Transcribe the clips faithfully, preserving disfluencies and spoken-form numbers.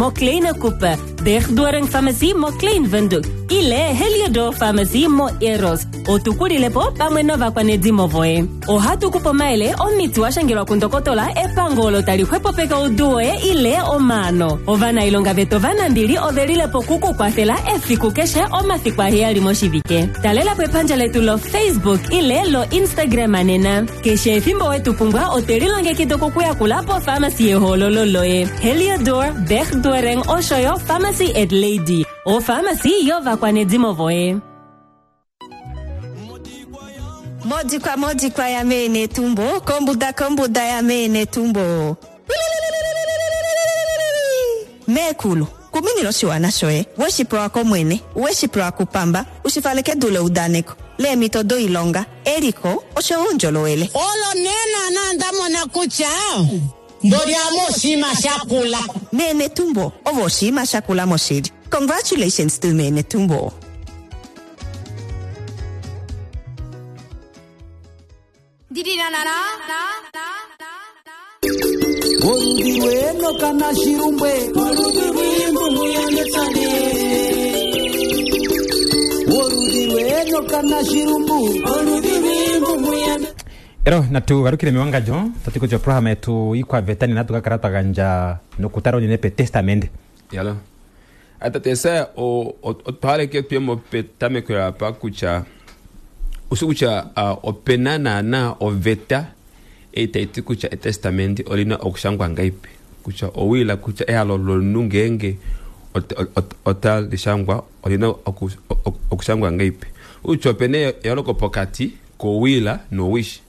moKleine Kuppe, Bergdoring Pharmacy moKlein Windhoek ile Heliodor Pharmacy moEros. Otukulilepo pamwe novakwanedimo voye. Ohatu kupe omayele omiti wa shangelwa kundokotola epango olo tali xwepopeka oudu woye ile omaano. Ovanailonga vetu ovanambili ove lilepo kukukwafela efiku keshe omafiku aheyali moshivike. Talelapo epandja letu lo-Facebook ile lo-Instagram nena. Keshe efimbo wetu pumbwa otwe lilongekida okukuyakula pofamasi yehoololo loye. Heliodor, Bergdoring osho yo Pharmacy at Lady. Ofamasi yovakwanedimo voye. Modikwa modikwa ya mene tumbo, kombuda kombuda ya mene tumbo. Meekulu, kuminila oshiwana shoye, weshi pewa komwene, weshi pewa kupamba, ushifale kedu leudaneko, leemhito doilonga, eliko osho yo oundjolowele. Olo nee naana nda mona kutya mboli ame oshinima shakula. Mene tumbo, ovo oshinima shakula moshili. Congratulations to Mene Tumbo. Oludhi lwenoka nashirumbwe oludhi lwimbungu yanetsane oludhi lwenoka nashirumbu oludhi lwimbungu yane ero natu galukile mewangandjo tati kutya oprograma yetu ikwaveta nena tukakala twa gandja nokutala unene petestamende. Yalo atate Esaya, otwaleke tuyemo petameko yapa kutya usi kutya uh, opena naana oveta ei taiti kutya etestamenti olina okushangwa ngaipi, kutya owila kutya ehalo lomunhu ngeenge otalishangwa olina oku, okushangwa ngaipi, kutya opena eyooloko pokati kowila nowishi.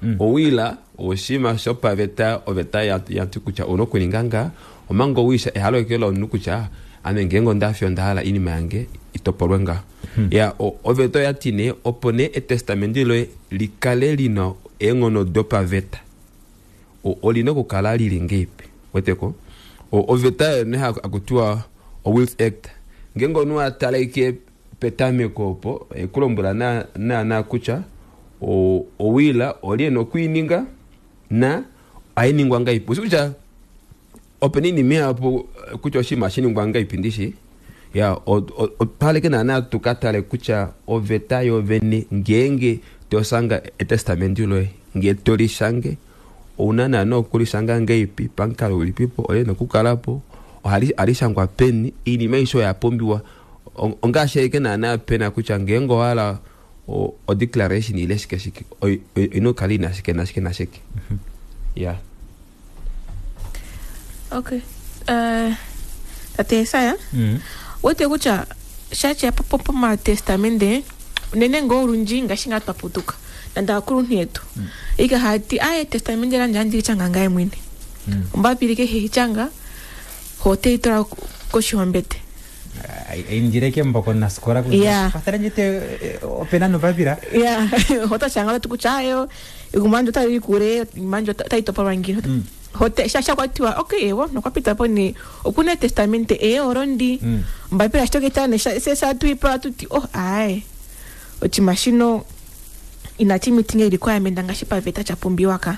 Mm. Owila oshinima shopaveta, oveta yati kutya ouna okuninga nga, omanga owisha ehalo eke lomunhu kutya ame ngeenge ondafi onda hala iinima yange itopolwe nga. Hmm. Ya oveta oyati nee opo nee etestamenti loye likale lina eenghono dopaveta olina okukala lili ngeipi, weteko oveta ne hakutiwa o-Wills Act, ngeenge omunhu atala ike petameko opo ekulombwela naana kutya owila oli ena okwiininga na ohainingwa ngaipi, ushi kutya opena iinima ihapu kutya oshinima shiningwa ngaipi ndishi. Ya otwaleke naana tukatale kutya oveta yovene ngeenge tosanga etestamenti loye ngee tolishange ouna naana okulishanga ngeipi, pamukalo ulipipo olina okukalapo, ohalishangwa peni, iinima aishe oya pumbiwa ongaashi ashike naana pena kutya ngeenge owahala o declaration ile shike shike oina okukala ina shike nashike nashike. Ya okay. Uh, tate Esaya, mm. wete kutya shatya pomatestamende unene ngoo olundji ngaashi ngaa twaputuka nande aakuluntu yetu mm. ika hati aye etestamende landje andi lichanga ngaye mwene mm. ombapili kehe hichanga hote itola koshihombete indire mboko nasikola Yeah. kwathela opena novapila ya hotachanga tati kutya ayo igumanje otali kule imanje otayi ngino mm. Hote sha kwatiwa okay ewo nokwapita ni okuna etestamente e orondi mm. mbapila shitoketane sesatuipa tuti oh aye ochima shino inachi meeting requirement ngaashi paveta chapumbiwa ka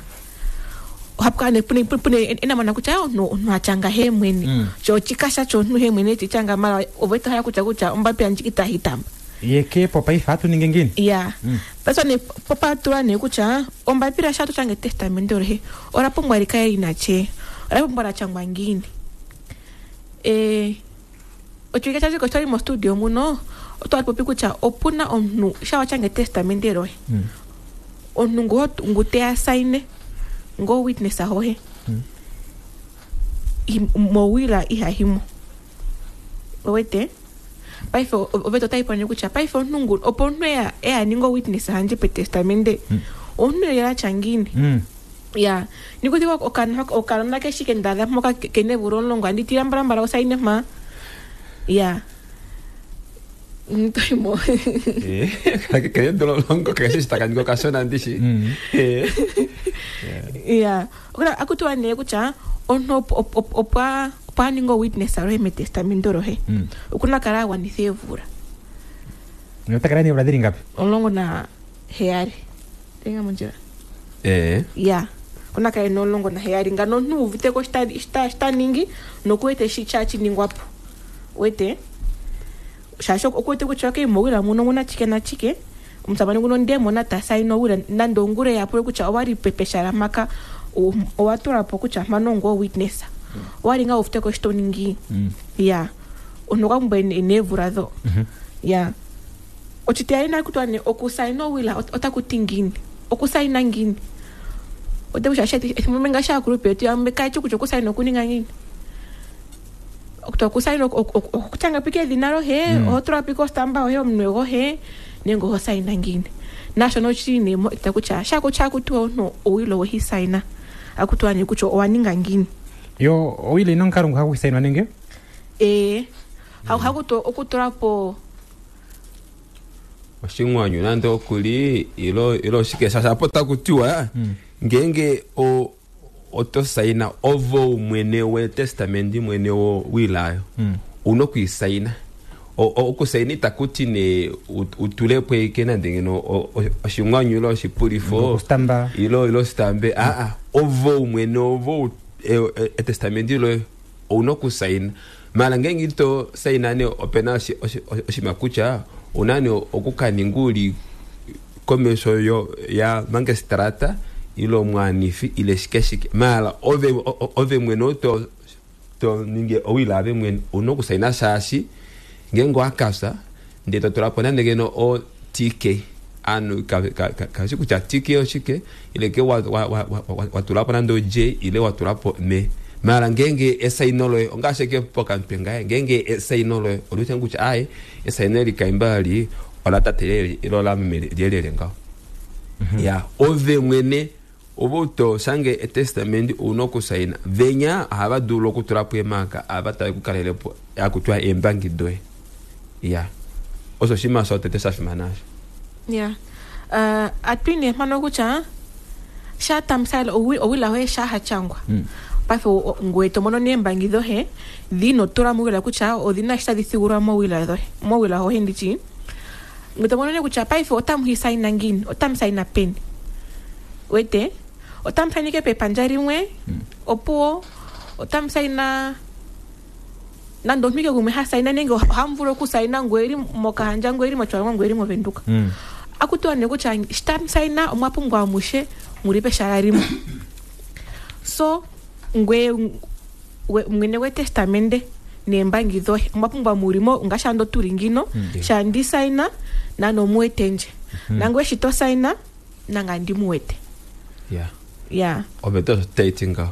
ohapu kala pune pune enamona kutya no no achanga he mwene mm. cho chikasha cho nu he mwene chichanga mara oveta haya kutya kutya ombapila njikita hitamba yeke popa ifa atu ninge ngini ya mm. Paswa ne popa tula ne kutya ombapila sha tuchange testament ore ora pumbwa likaye linache ora pumbwa la changwa ngini eh ochika chazi ko mo studio muno otwa popi kutya opuna omunhu sha wachange testament rohe mm. Omunhu ngo ngute asaine ngo witness ahohe mm. Mowila ihahimo owete paife oveta otayi kutya paife omunhu ngu opo omunhu eya eya ninga witness handje petestamende mm. Omunhu ela tya ngini mm. Ya nikuti okanona keshike ndadha mpoka kene vulu omulongo andi tila mbalambala osaine mpa ya ntoimo kene dololongo kese shitakaninga okashona ndishi ya akutiwa nee kutya omunhu opo opo aninga witness alohe metestamento lohe mm. Okuna kala agwanitha eemvula otakala neemvula dhili ngapi omulongo na heyali tenga mondjila eh ya Kuna kale nomulongo naheyali ngano omuntu uviteko shita ningi nokuwete shi sha wete shaashi okuwete kutya okay mowila muno muna chike na chike omusamane nguno ndemona ta saina owila nande ongula yapule kutya owali pepeshala maka owatulapo kutya mpano ongo witness owali nga uviteko shi to ningi ya omuntu okwa pumbwa neevula dho ya ochitiyali nakutwa ne okusaina owila otaku ti ngiini okusaina ngiini ote kutya ethimbo ngaashi aakulupe yetu yamwe kayeshi kutya okusaina okuninga ngiini okusaina okutyanga pika edhina lohe oho tula pika ostamba yohe omunwe gohe nenge oho saina ngiini nashono oshili nee mo ita kutya shakutya akutiwa omuntu owilo wehi saina akutiwa nee kutya owaninga ngiini yo owilo ina omukalo ngu haku sainwa nenge ee hakutu okutulapo oshimwanyu nande okuli ilo ilo oshike shasha apo takutiwa ngenge o oto saina ovo mwene we testamenti mwene wo wilayo una okuisaina okusaina itakuti ne utulepo ike nande ngeno oshimwanyu ilo oshipulifo ilo ilo stambe aa ovo mwene ovo etestamenti ilo una okusaina mala ngenge ito saina ne opena oshima kutya unani okukaninga uli komesho yo ya mangestrata ilo mwanifi ile shike shike mala ove ove mwene oto to ninge owila ave mwene una okusaina shaashi ngenge wakasa ndee totulapo nande ngeno o T K anu kashi kutya T K oshike ile ke watulapo nande o J ile watulapo me mala ngenge esaino loye ongasheke pokantwe ngaye ngenge esaino loye olutya kutya aye esaino likaimbali ola tate ilo la meme lyelele ngaho ya ove mwene ovoto sange etestamenti una okusaina venya ohava dulu okutulapo emaka ava tave kukalelepo akutwa embangi doye ya osho shima shotete shafimana asho ya uh, atwine mano kutya shatamsala owila hoye shahachangwa paife ngoye to mono neembangi dhohe dhino tula mowila kutya odhina shi tadhi thigulwa mowila dhohe mowila hohe ndichi ngoye to mono ne kutya paife otamu hisaina ngiini otamu saina peni wete otamu sainike pepandja limwe opuwo otamu saina nande omuntu ike gumwe ha saina nenge ohamu vulu okusaina ngoye eri mOkahandja ngoye eri mOtjiwarongo ngoye eri mOvenduka akutiwa ne kutya shi tamu saina omwa pumbwa amushe muli peshala limwe so ngwe mwene wetestamende neembangi dhohe omwa pumbwa mulimo ngaashi ando tuli ngino sha ndi saina nano omuwete ndje nangwe shi to saina nanga ndimuwete ya ya oveta osho taiti ngaho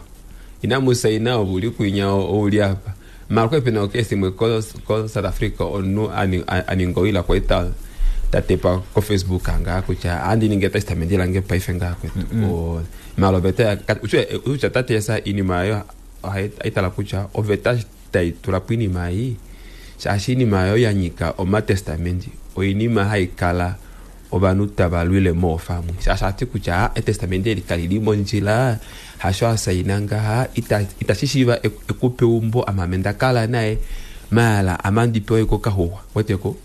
inamu saina ovuli kwinya ouli apa mara kwepena okesi imwe ko ko South Africa onu aninga owila kwaita tatepa ko Facebook anga kutya andi ninge testament lange paife nga kwetu o mara oveta utya tatesa inima yo aitala kutya oveta taitulapo inima ei shaashi inima yo yanyika omatestamenti oinima haikala ovanhu tava lwile moofamwe shaashi ati kutya etestamenti eli kali li mondjila hasho asaina ngaha itashi shiiva ekupe umbo amame ndakala naye mala amandipewa iko kahuwa weteko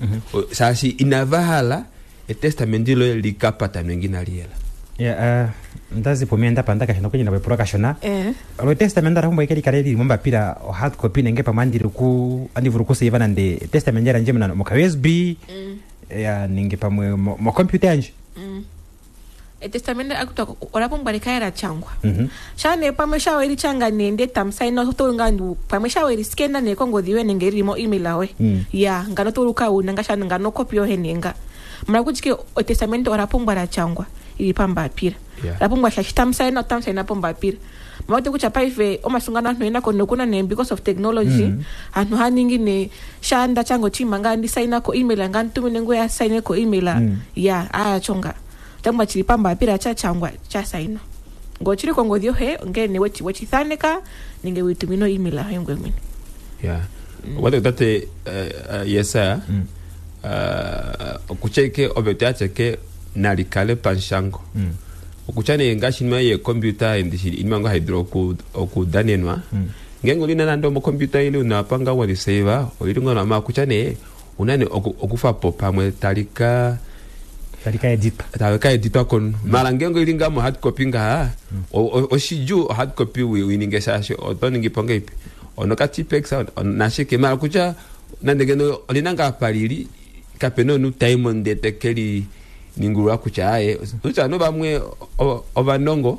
shaashi inava hala etestamenti loye likapatanwe nginaliyela ya ndazipo mie ndapanda kashona kwenyina wepulwa kashona lo testament ara humbo ikeli kale lili mombapila o hard copy nenge pamwe andiri ku andivulu kuseiva nande testament yandje muna moka U S B ya nenge pamwe mo computer yandje etestamende akutwa ola pumbwa likale la changwa shane pamwe shawe lichanga nende tamusaina otolunga ndu pamwe shawe liskena ne kongodhi yoye nenge lili mo email awe ya ngano toluka una ngashana ngano copy yohe nenga mara kutike etestamende ola pumbwa la changwa ili pambapira Yeah. La pumbwa shashi tamusaina otamusaina pombapira mawete kutya paife omasungano anhu ena kono kuna ne because of technology anhu haningi ne shanda chango chima nga ndisaina ko email nga ntumine ngo ya saine ko email ya aya chonga changwa chili pambapira cha changwa cha saina ngo chili kongodhi yohe ngene wechi wechithaneka ninge witumino email ayo ngwe mwene ya wate tate yesaya okutya ike oveta yacheke nalikale panshango okutya ne ngaashi inima yekombyuta ndishi inima ngo haidulu okudanenwa ngenge olina nande omokombyuta ile unapanga waliseiva olili ngona ma kutya ne unane okufapo pamwe talika Tali ka editwa. Tali ka editwa komunhu. Mara ngeenge oili ngaa mo hard copy ngaha, oshidjuu o hard copy uininge shaashi oto ningi po ngeipi onokatipex nashike, mara kutya nande ngeno olina ngaa apa lili kapena omunhu taimo ndee teke li ningulula kutya aye kutya ovanhu vamwe ovanongo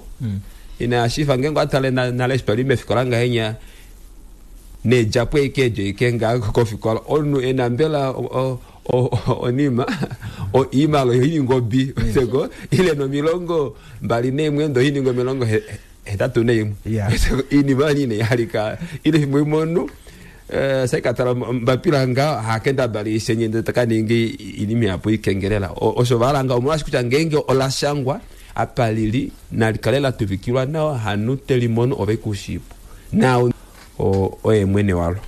inashifa ngeenge watale nale eshi twali mefikola ngahenya needjapo eke eedjo eke ngaa kofikola omunhu ena mbela onima oimalo oininga obi seko ile nomilongo mbali neimwe ndo oininga omilongo hetatu neimwe inima nine yalika ile fimbo imwe omunhu saikatala mbapila nga hakenda bali isenye ndee takaningi inima yapo ikengelela osho valanga omolwashi kutya ngeenge olashangwa apa lili nalikale latuvikilwa nawa hanu telimono ove kushipo na oye mwene walo.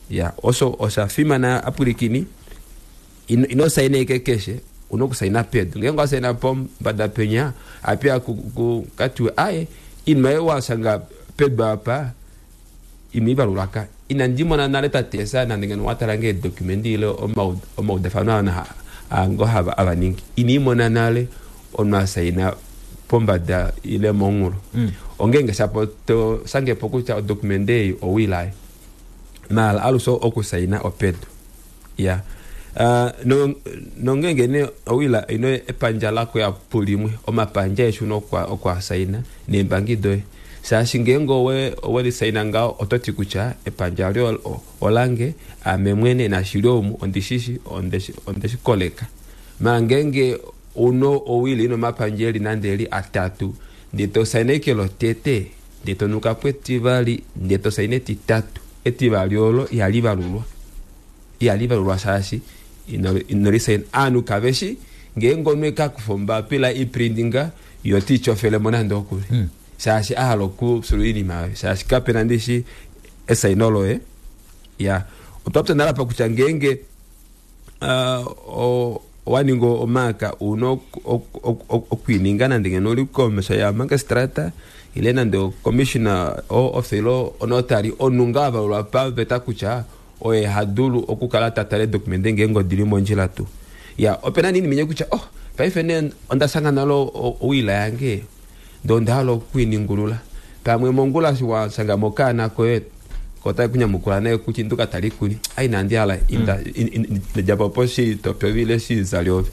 Ya osho osha fimana apulikini ino saina ike keshe uno kusaina pedu ngeenge wasaina pombada penya apia katiwe aye inima ye wasanga pedu apa imivalulaka ina ndimona nale tatesa nande ngeno watalange edokumenti ile omaudafano ana ango hava avaningi inimona nale omunhu asaina pombada ile monghulo ongeenge shapo to sangepo kutya odokumenti ei owilaye mala alushe okusaina opedu. Ya nongeenge nee owila ino epandja lako yapu limwe omapandja eshu okwasaina neembangi doye shaashi ngeenge owelisaina ngaho ototi kutya epandja lyo olange ame mwene nashili omu ondishishi ondeshikoleka. Mara ngeenge uno owili ino mapandja eli nande eli atatu ndee tosaina eke lotete ndee tonukapo etivali ndee tosaina etitatu etivali olo ihali valulwa ihali valulwa shaashi inolisaina aanhu kaveshi ngeenge omunhu ekakufa ombapila iprindinga yo tiityofelemo nande okuli shaashi ahala okusula oinima yoye shaashi kapena ndishi esaino loye. Ya otwapya nale apa kutya ngeenge owaninga omaaka una okwiininga nande ngeno oli komesho ya magistrata ile nande ocommissioner officer ile onotary omunhu ngaa avalulwa paveta kutya oye hadulu okukala tatale edokumende ngeenge odili mondjila tuu. Ya opena nini minye kutya oh paife nee ondashanga nale owila yange ndee ondahala okwiiningulula pamwe mongula washanga mokaana koye kotai kunyamukula naye kutya induka tali kuni ai nandi hala inda djapo shitope ile shizali ove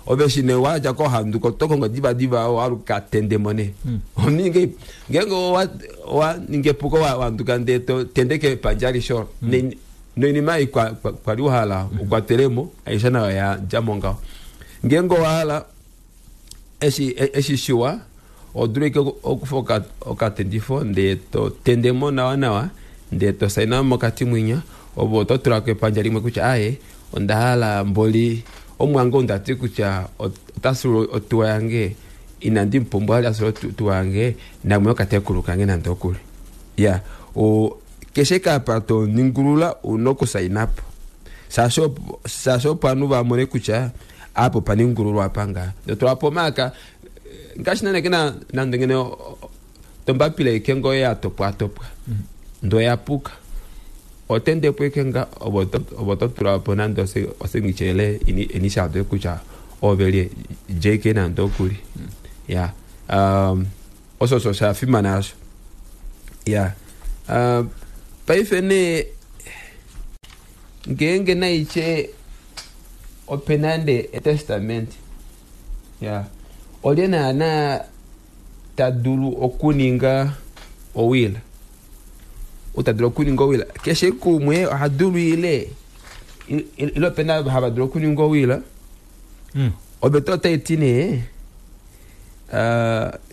ove shine wadja kohanduka otokongo diva diva waluka tendemo nee omuninge ngeenge owaninga epuko wanduka ndee tendeke epandja alishe olo noinima ei kwali wahala ukwatelemo aishe nayo yadjamo ngaho. Ngeenge owahala eshi shiwa odulu ike okufa okatendifo ndee totendemo nawa nawa ndee tosaina mokati mwinya ovo ototulako epandja limwe kutya aye ondahala mboli omwange ondati kutya otasulu otuwa yange inandi mupumbwa ali asula otuwa yange namwe okatekulu kange nande okuli. Ya keshe kapa toningulula una okusainapo shaashi opo ovanhu vamone kutya apo paningululwa apa ngaa totulapo omaaka ngaashi nane kena nande ngeno tombapila ike ngoo yatopwatopwa ndoo yapuka otendepo ike nga ovo totulapo nande osignature ile initial doye kutya ove lye J K nande okuli. Ya osho osho shafimana asho. Ya paife nee ngeenge naitye opena nande etestament ya olye naana tadulu okuninga owila utadulu okuninga owila keshe kumwe ohadulu ile ile opena hava dulu okuninga owila oveta otaiti nee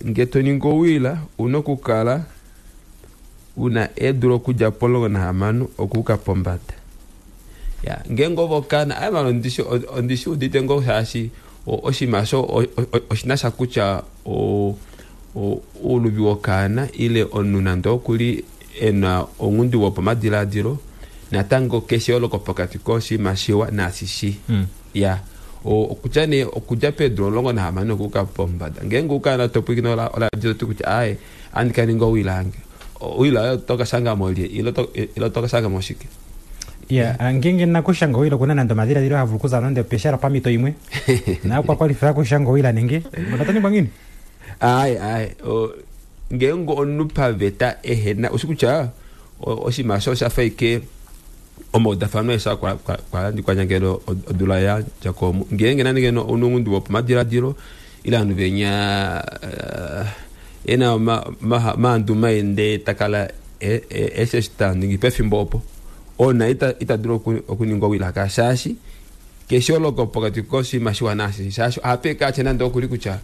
ngee toningi owila una okukala una eedula okudja pomulongo nahamano okuuka pombada. Ya ngeenge ove okaana aye malo ondishi udite ngoo shaashi oshinima osho oshina sha kutya ouluvi wokaana ile omunhu nande okuli ena ounghundi wopamadilaadilo natango keshe eyooloko pokati koshinima shiwa naashi shii. Ya okutya nee okudja peedula omulongo nahamano okuuka pombada ngeenge ukaana topwiikine oladio oti kutya aye andi kaninga owila yange owila oyo tokashangamo lye ile tokashangamo shike. Ya, ngenge nakushanga owila okuna nande omadhiladhilo havulu okuza nande peshala pamito imwe nakwa kwalifila kushanga owila nenge otataningwa ngini ai ai o, ngeenge omunhu paveta ehena oshi kutya oshinima osho osha fa ike omaudafano esha kwalandikwanyangelo odula ya dja ko ngeenge nande ngeno ounongundi wopomadiladilo ile ovanhu venya uh, ena maandu maende takala eshe eshi taningi pefimbo opo ona ita ita dulu okuningwa owila shaashi keshe oloko pokati koshinima shiwana ashi shaashi ohapeka atye nande okuli kutya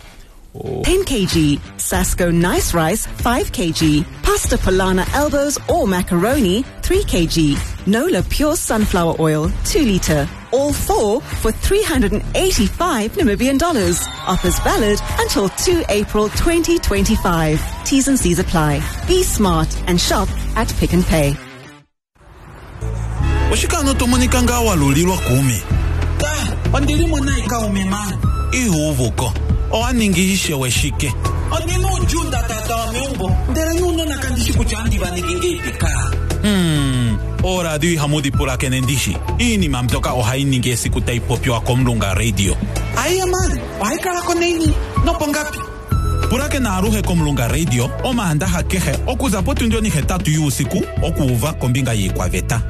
ten kilograms, Sasko Nice Rice five kilograms, Pasta Polana Elbows or Macaroni three kilograms, Nola Pure Sunflower Oil two litre. All four for three hundred eighty-five Namibian dollars. Offers valid until two April twenty twenty-five. T's and C's apply. Be smart and shop at Pick n Pay. Oshikano tomonika nga walulilwa kumi. Ondilimo naika umema. Ihuvuko. Owaningi ishewe shike. Ondina ujunda tata wa meumbo. Ndele nuunona kandishi kutya andi vaningi ngeipika. Hmm. Oradio ihamu pulakene ndishi. Iinima mbyoka ohayi ningi esiku tayi popiwa komulunga radio. Aiya man, ohayi kala ko neni nopongapi. Pulakena aluhe komulunga radio omaandaha kehe okuza potundi onihetatu yuusiku okuuva kombinga yiikwaveta.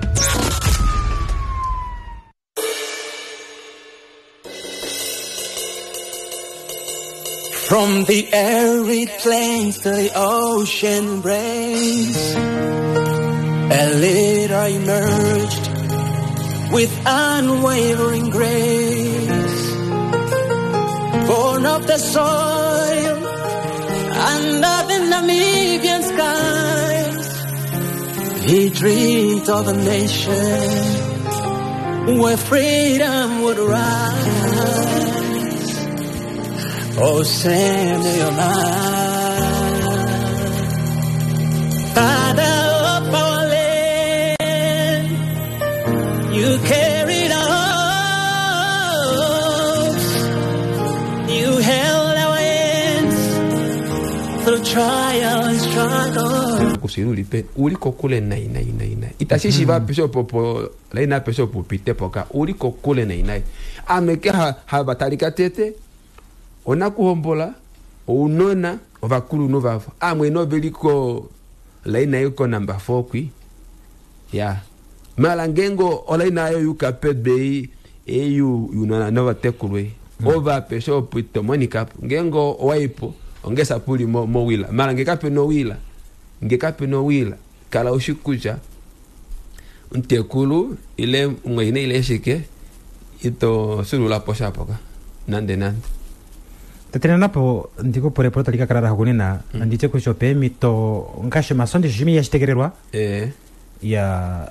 From the arid plains to the ocean embrace, a leader emerged with unwavering grace. Born of the soil under the Namibian skies, he dreamed of a nation where freedom would rise. Oh, Sam Nujoma, Father of our land, you carried our hopes, you held our hands through trial and struggle. Kusirulipe uliko kule nai nai nai nai itashi shiva pesho popo laina pesho pupite poka uliko kule nai nai ameke ha habatalika tete onakuhombola ounona ovakulunhu vavo amwe noveliko laina iko namba four kwi ya mala ngengo olaina ayo yuka pebei eyu yunona novatekulwe mm. ova pesho pwito monika ngengo owaipo ongesa puli mo, mowila mala ngekape nowila ngekape nowila kala ushikuja ntekulu ile mweine ile shike ito sulula posha poka nande nande Tatena napo ndiko polepole talika kalala hukunena mm. Anditye kutya peemito ngaashi omasondi shimi yashitegelelwa eh. Ya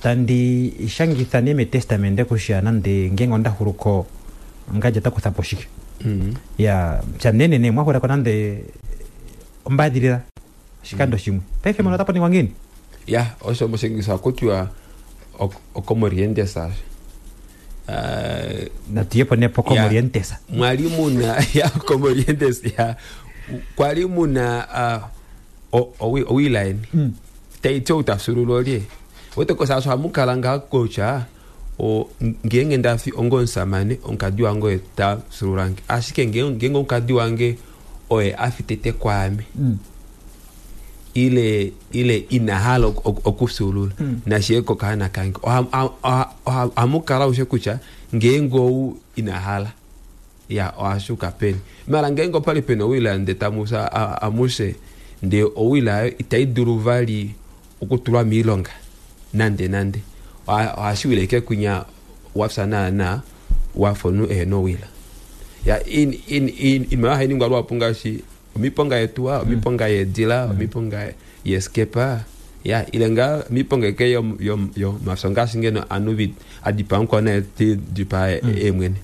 tandi shangitha ne metestamente kutya nande ngenge ondahuluko ngaje takuthapo shike mm. Ya pyanenene mwahulako nande ombadhilila oshikando mm. shimwe paife mono otapo ningwa ngini ya osho moshingisa kutya okomorientesa Uh, natuyepo nepo komorientesa mwali muna ya komorientesa ya kwali muna uh, owilaini mm. taityo utasulula lye wetekosa hamukala nga kocha o ngenge ndafi ongonsamane onkadi wange oye tasululange ashike ngenge onkadi wange oye afitete kwame mm. ile ile inahala okusulula mm. nashiyeko kahana kange hamukala ushe kutya ngenge ou inahala ya oashuka peni mala ngenge opali pena owila nde tamusa amuse nde owila itayi dulu vali okutulwa miilonga nande nande ohashiwile ike kunya wafsa naana wafonu ehena owila ya in in in imayo hainingwa lwapu ngaashi omiponga yetuwa omiponga yedila omiponga yeskepa ya ile nga miponga ike yo yo yo mafso ngaashi ngeno anu adipa nkwana ti dipa emwene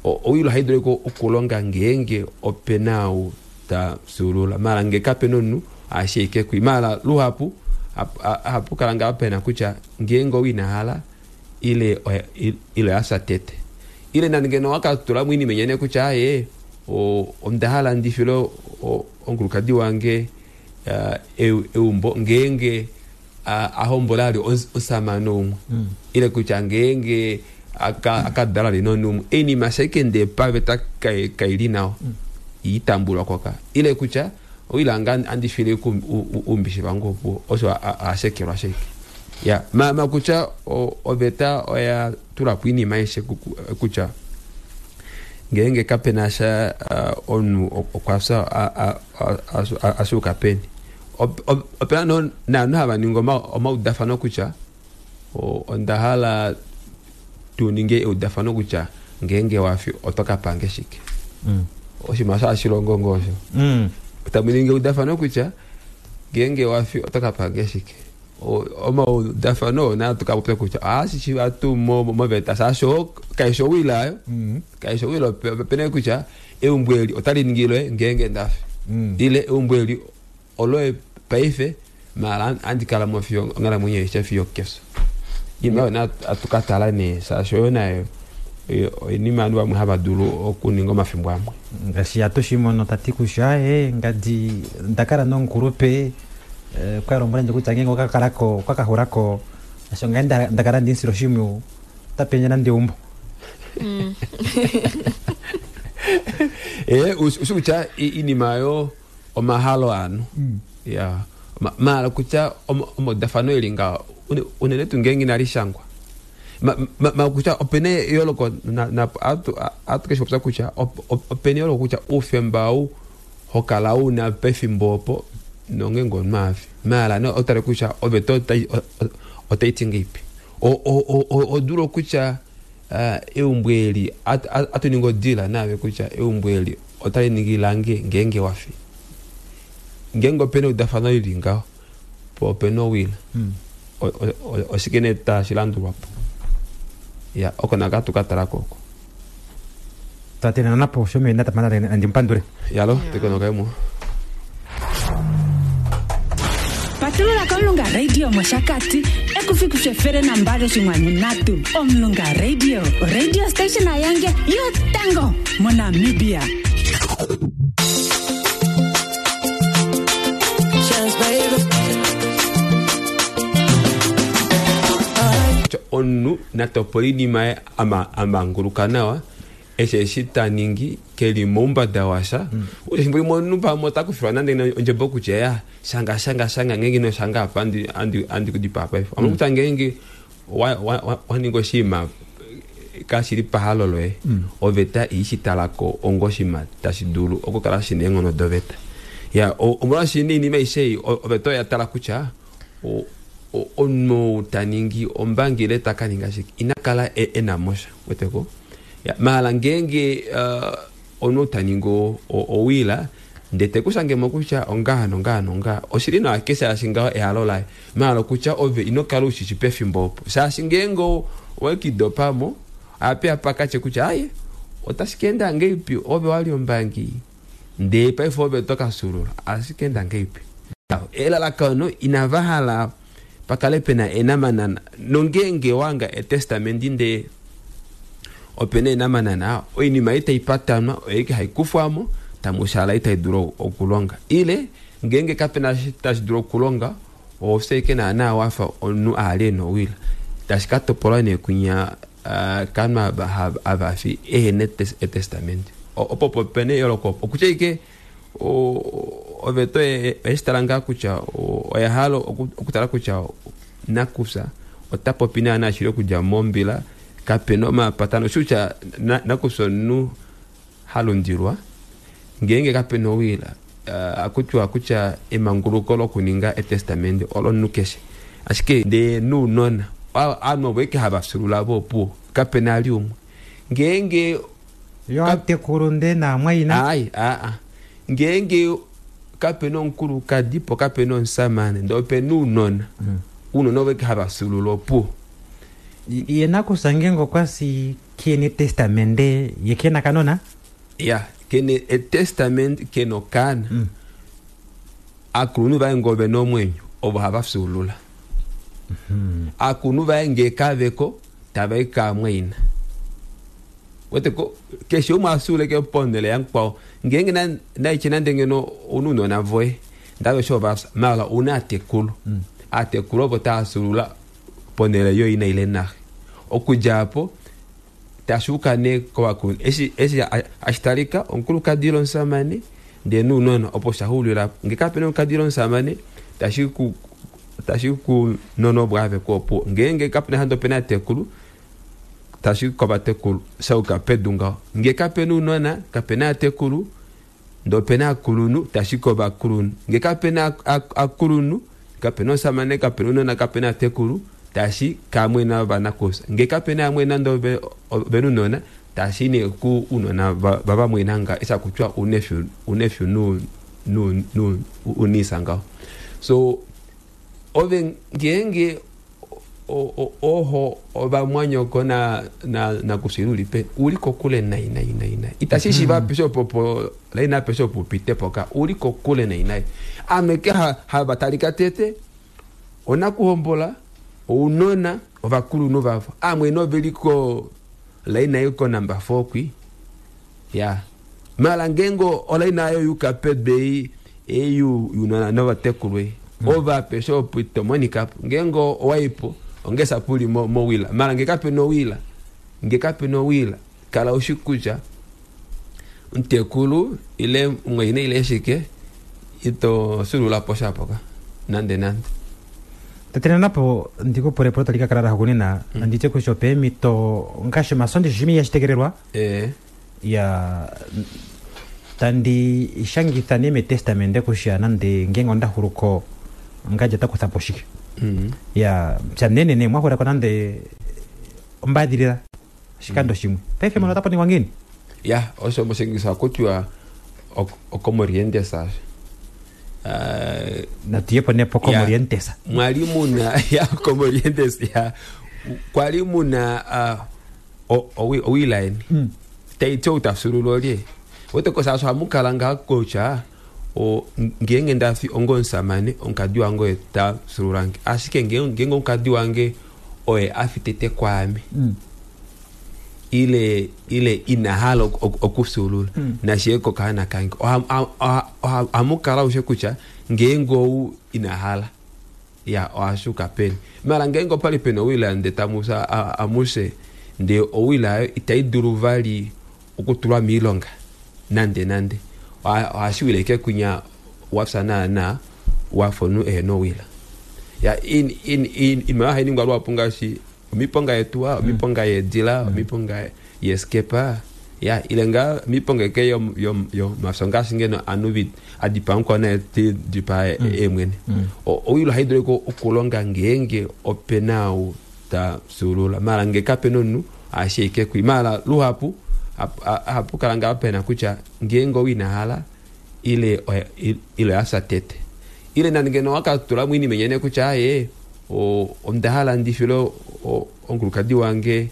owilo haidule ko okulonga ngenge opena ou ta sulula mala nge kapena omunhu ashike kwi mala luhapu hapu kala nga pena kutya ngenge owinahala ile ile asa tete ile nande ngeno wakatula mwini menyene kutya aye ondahala ndifilo onkulukadi wange eumbo ngenge a hombola ali omusamane umwe ile kutya ngeenge akadala ali nomunhu umwe oinima shaike paveta kaili nawa itambulwa koka ile kutya oilanga andifile umbishi vangu opo osho ashekelwa sheke ya ma ma kutya oveta oya tula po iinima aishe kutya ngeenge kapena sha omunhu okwafya ashuka peni opena naanhu hava ningi omaudafano kutya onda hala tuninge eudafano kutya ngeenge wafi oto kapange shike oshinima osho hashilongo ngoo osho tamuningi eudafano kutya ngeenge wafi oto kapange shike omaudafano naa tukapopya kutya ohashishiva tuu moveta shaashi kaishi owila ayo kaishi owila opena kutya eumbo eli otali ningilwe ngeenge ndafi ile eumbo eli oloye paife mala andikala mo fiyo onghalamwenyo aishe fiyo kefyo iinima oyo naa atukatala nee shaashi oyo nayo oinima ovanhu vamwe hava dulu okuninga omafimbo amwe ngaashi atushimono tati kutya e ngadi ndakala nomukulupe kwa lombwela ndje kutya ngeenge okakalako okakaxulako asho ngai ndakala ndinsila oshimwiyu otapenye nande eumbo e ushi kutya iinima oyo omahalo aanhu ya maala kutya omaudafano eli nga unene tuu ngeenge inali shangwa ma kutya opena eyooloko atu keshi popya kutya opena eyooloko kutya oufemba ou hokala una pefimbo opo nongeenge omunhu afi maala otale kutya oveta otaiti ngeipi odulu kutya eumbo eli atuningi odila naave kutya eumbo eli otali ningi lange ngeenge wafi ngeenge opena eudafano lili ngaho po opena owila oshike nee tashilandulwapo ya oko naka tukatalako oko twatenana napo shomene tapana andimupandule yalo tekonokaimo Patulula komulunga radio moshakati ekufikishe fere nambali oshinwanyu nhatu Omulunga Radio radio station ayange yotango moNamibia. Omunhu natopola iinima amanguluka nawa eshe eshi taningi keli moumbada washa efimbo limwe omunhu pamwe otakufilwa nande ondjebo kutya ya shanga shanga shanga ngeenge ino shanga apa andi kudipaa paife omuna kutya ngeenge waninga oshinima kashili pahalo loye oveta iishitalako onga oshinima tashi dulu okukala shina eenghono doveta ya omolwaashi iinima aishe ei oveta oya tala kutya omunhu taningi ombangi ile takaninga shike inakala ena mosha weteko maala ngeenge omunhu taningi owila ndee tekushangemo kutya ongaha nongaha nongaha oshili nawa keshe shaashi ngaho ehalo laye maala kutya ove inokala ushishi pefimbo opo shaashi ngeenge owekidopamo ape apakatye kutya aye otashi kaenda ngeipi ove wali ombangi ndee paife ove tokasulula ashi kaenda ngeipi elalakano inava hala pakale pena enamanana nongeenge wanga etestamenti ndee opena enamanana oinima itaipatanwa oike haikufwamo tamushala itaidulu okulonga ile ngeenge kapena tashi dulu okulonga ofye ike naana wafa omunhu ali ena owila tashi katopolwa nee kunya kanhu avafi ehena etestamenti opo opo pena eyooloko opo okutya ike oveta oyeshitala ngaa kutya oya hala okutala kutya nakufya ota popi naana shili okudja mombila kapena omapatano oshi kutya nakufya omunhu halundilwa ngeenge kapena owila akutiwa kutya emanguluko lokuninga etestamenti olomunhu keshe ashike ndee nounona ovanhu ovo ike hava fyuulula vopuwo kapena ali umwe ngeenge yo atekulu ndee naamwaina ai aa ngeenge kapena omukulukadi po kapena omusamane ndee opena ounona ounona ovo ike hava fyuulula opuwo ye nakusa ngeenge okwasi kena etestamende ye kena kanona ya kene etestament kena okaana mm. Akulunhu vaye ngee ovena omwenyo ovo hava fyuulula mm -hmm. Akulunhu vaye ngee kaveko tavai kaamwaina weteko keshe umwe afyuuleke ponhele yamukwao ngeenge naitye nande ngeno ouna ounona voye ndave osho vafya maala ouna atekulu mm. Aatekulu ovo taafyuulula ponhele yoina ile naxe. Okudja apo tashuuka nee kovakulunhu eshi eshi ashitalika omukulukadi ile omusamane ndee nounona opo shaxulila ngee kapena omukulukadi ile omusamane tashi ku tashi kunona opo aveke opo ngeenge kapena hande opena atekulu tashi kovatekulu shauka pedu ngaho ngee kapena ounona kapena atekulu ndee opena akulunhu tashi kovakulunhu ngee kapena akulunhu kapena omusamane kapena ounona kapena atekulu tashi kamwena vanakufya ngee kapena amwena ndee ovena ounona tashi nee ku unona vavamwena nga eshi hakutiwa unefyu unefyu nu nu nu unisa ngaho. So ove ngeenge oho ovamwanyoko na na nakufya ulipe uli kokule nai nai nai nai itashi shiva apeshe opo laina apeshe opo upite poka uli kokule nai nai ame ke havatalika tete onakuhombola ounona ovakulunhu vavo amwene oveliko laina iko number four kwi ya mala ngengo olaina ayo yuka pedei eyu yunona novatekulwe ova apeshe opo itomonika ngengo owaipo ongesa puli mo, mo wila mala ngekape no wila ngekape no wila kala ushikuja ntekulu ile mweine ile shike ito sulula posha poka nande nande tatena napo ndiko pole pole talika kala rahukunena mm. anditye kusho peemito ngaashi omasondi shimi yashitekelelwa eh ya tandi shangitha nee metestamente kusha nande ngenge ondahuluko ngaje takuthapo shike mm. ya pya nene mwahulako nande ombadilila shikando mm. shimwe paife mono otapo ningwa ngini ya osho moshingisa kutiwa okomorientesa uh, natuyepo nepo komorientesa mwali muna ya komorientes ya kwali muna uh, owilaeni mm. taiti outafyuulula olye wetekosa hamukala nga kutya o ngeenge ndafi ongo omusamane omukadi wange oye tafyuululange ashike ngeenge omukadi wange oye afi tete kwaame mm. ile ile inahala okufyuulula mm. nashiye kokaana kange ohamukala ushe kutya ngeenge ou inahala ya ohashuka peni mala ngeenge opali pena owila nde tamusa amushe nde owila ayo itai dulu vali okutulwa miilonga nande nande ohashiwile ike kunya wafya naana wafonu ehena owila ya in in in imayo hainingwa lwapu ngaashi omiponga yetuwa omiponga yeedila omiponga yeskepa ya ile nga miponga eke yo yo yo mafyo ngaashi ngeno anu adipa mukwana ti dipa emwene owilo haidulu okulonga ngeenge opena ou ta fyuulula mala nge kapena omunhu ashike kwi mala luhapu hapu kala nga pena kutya ngeenge ou inahala ile ile yafya tete ile nande ngeno wakatula mwini menyene kutya aye ondahala ndifile omukulukadi wange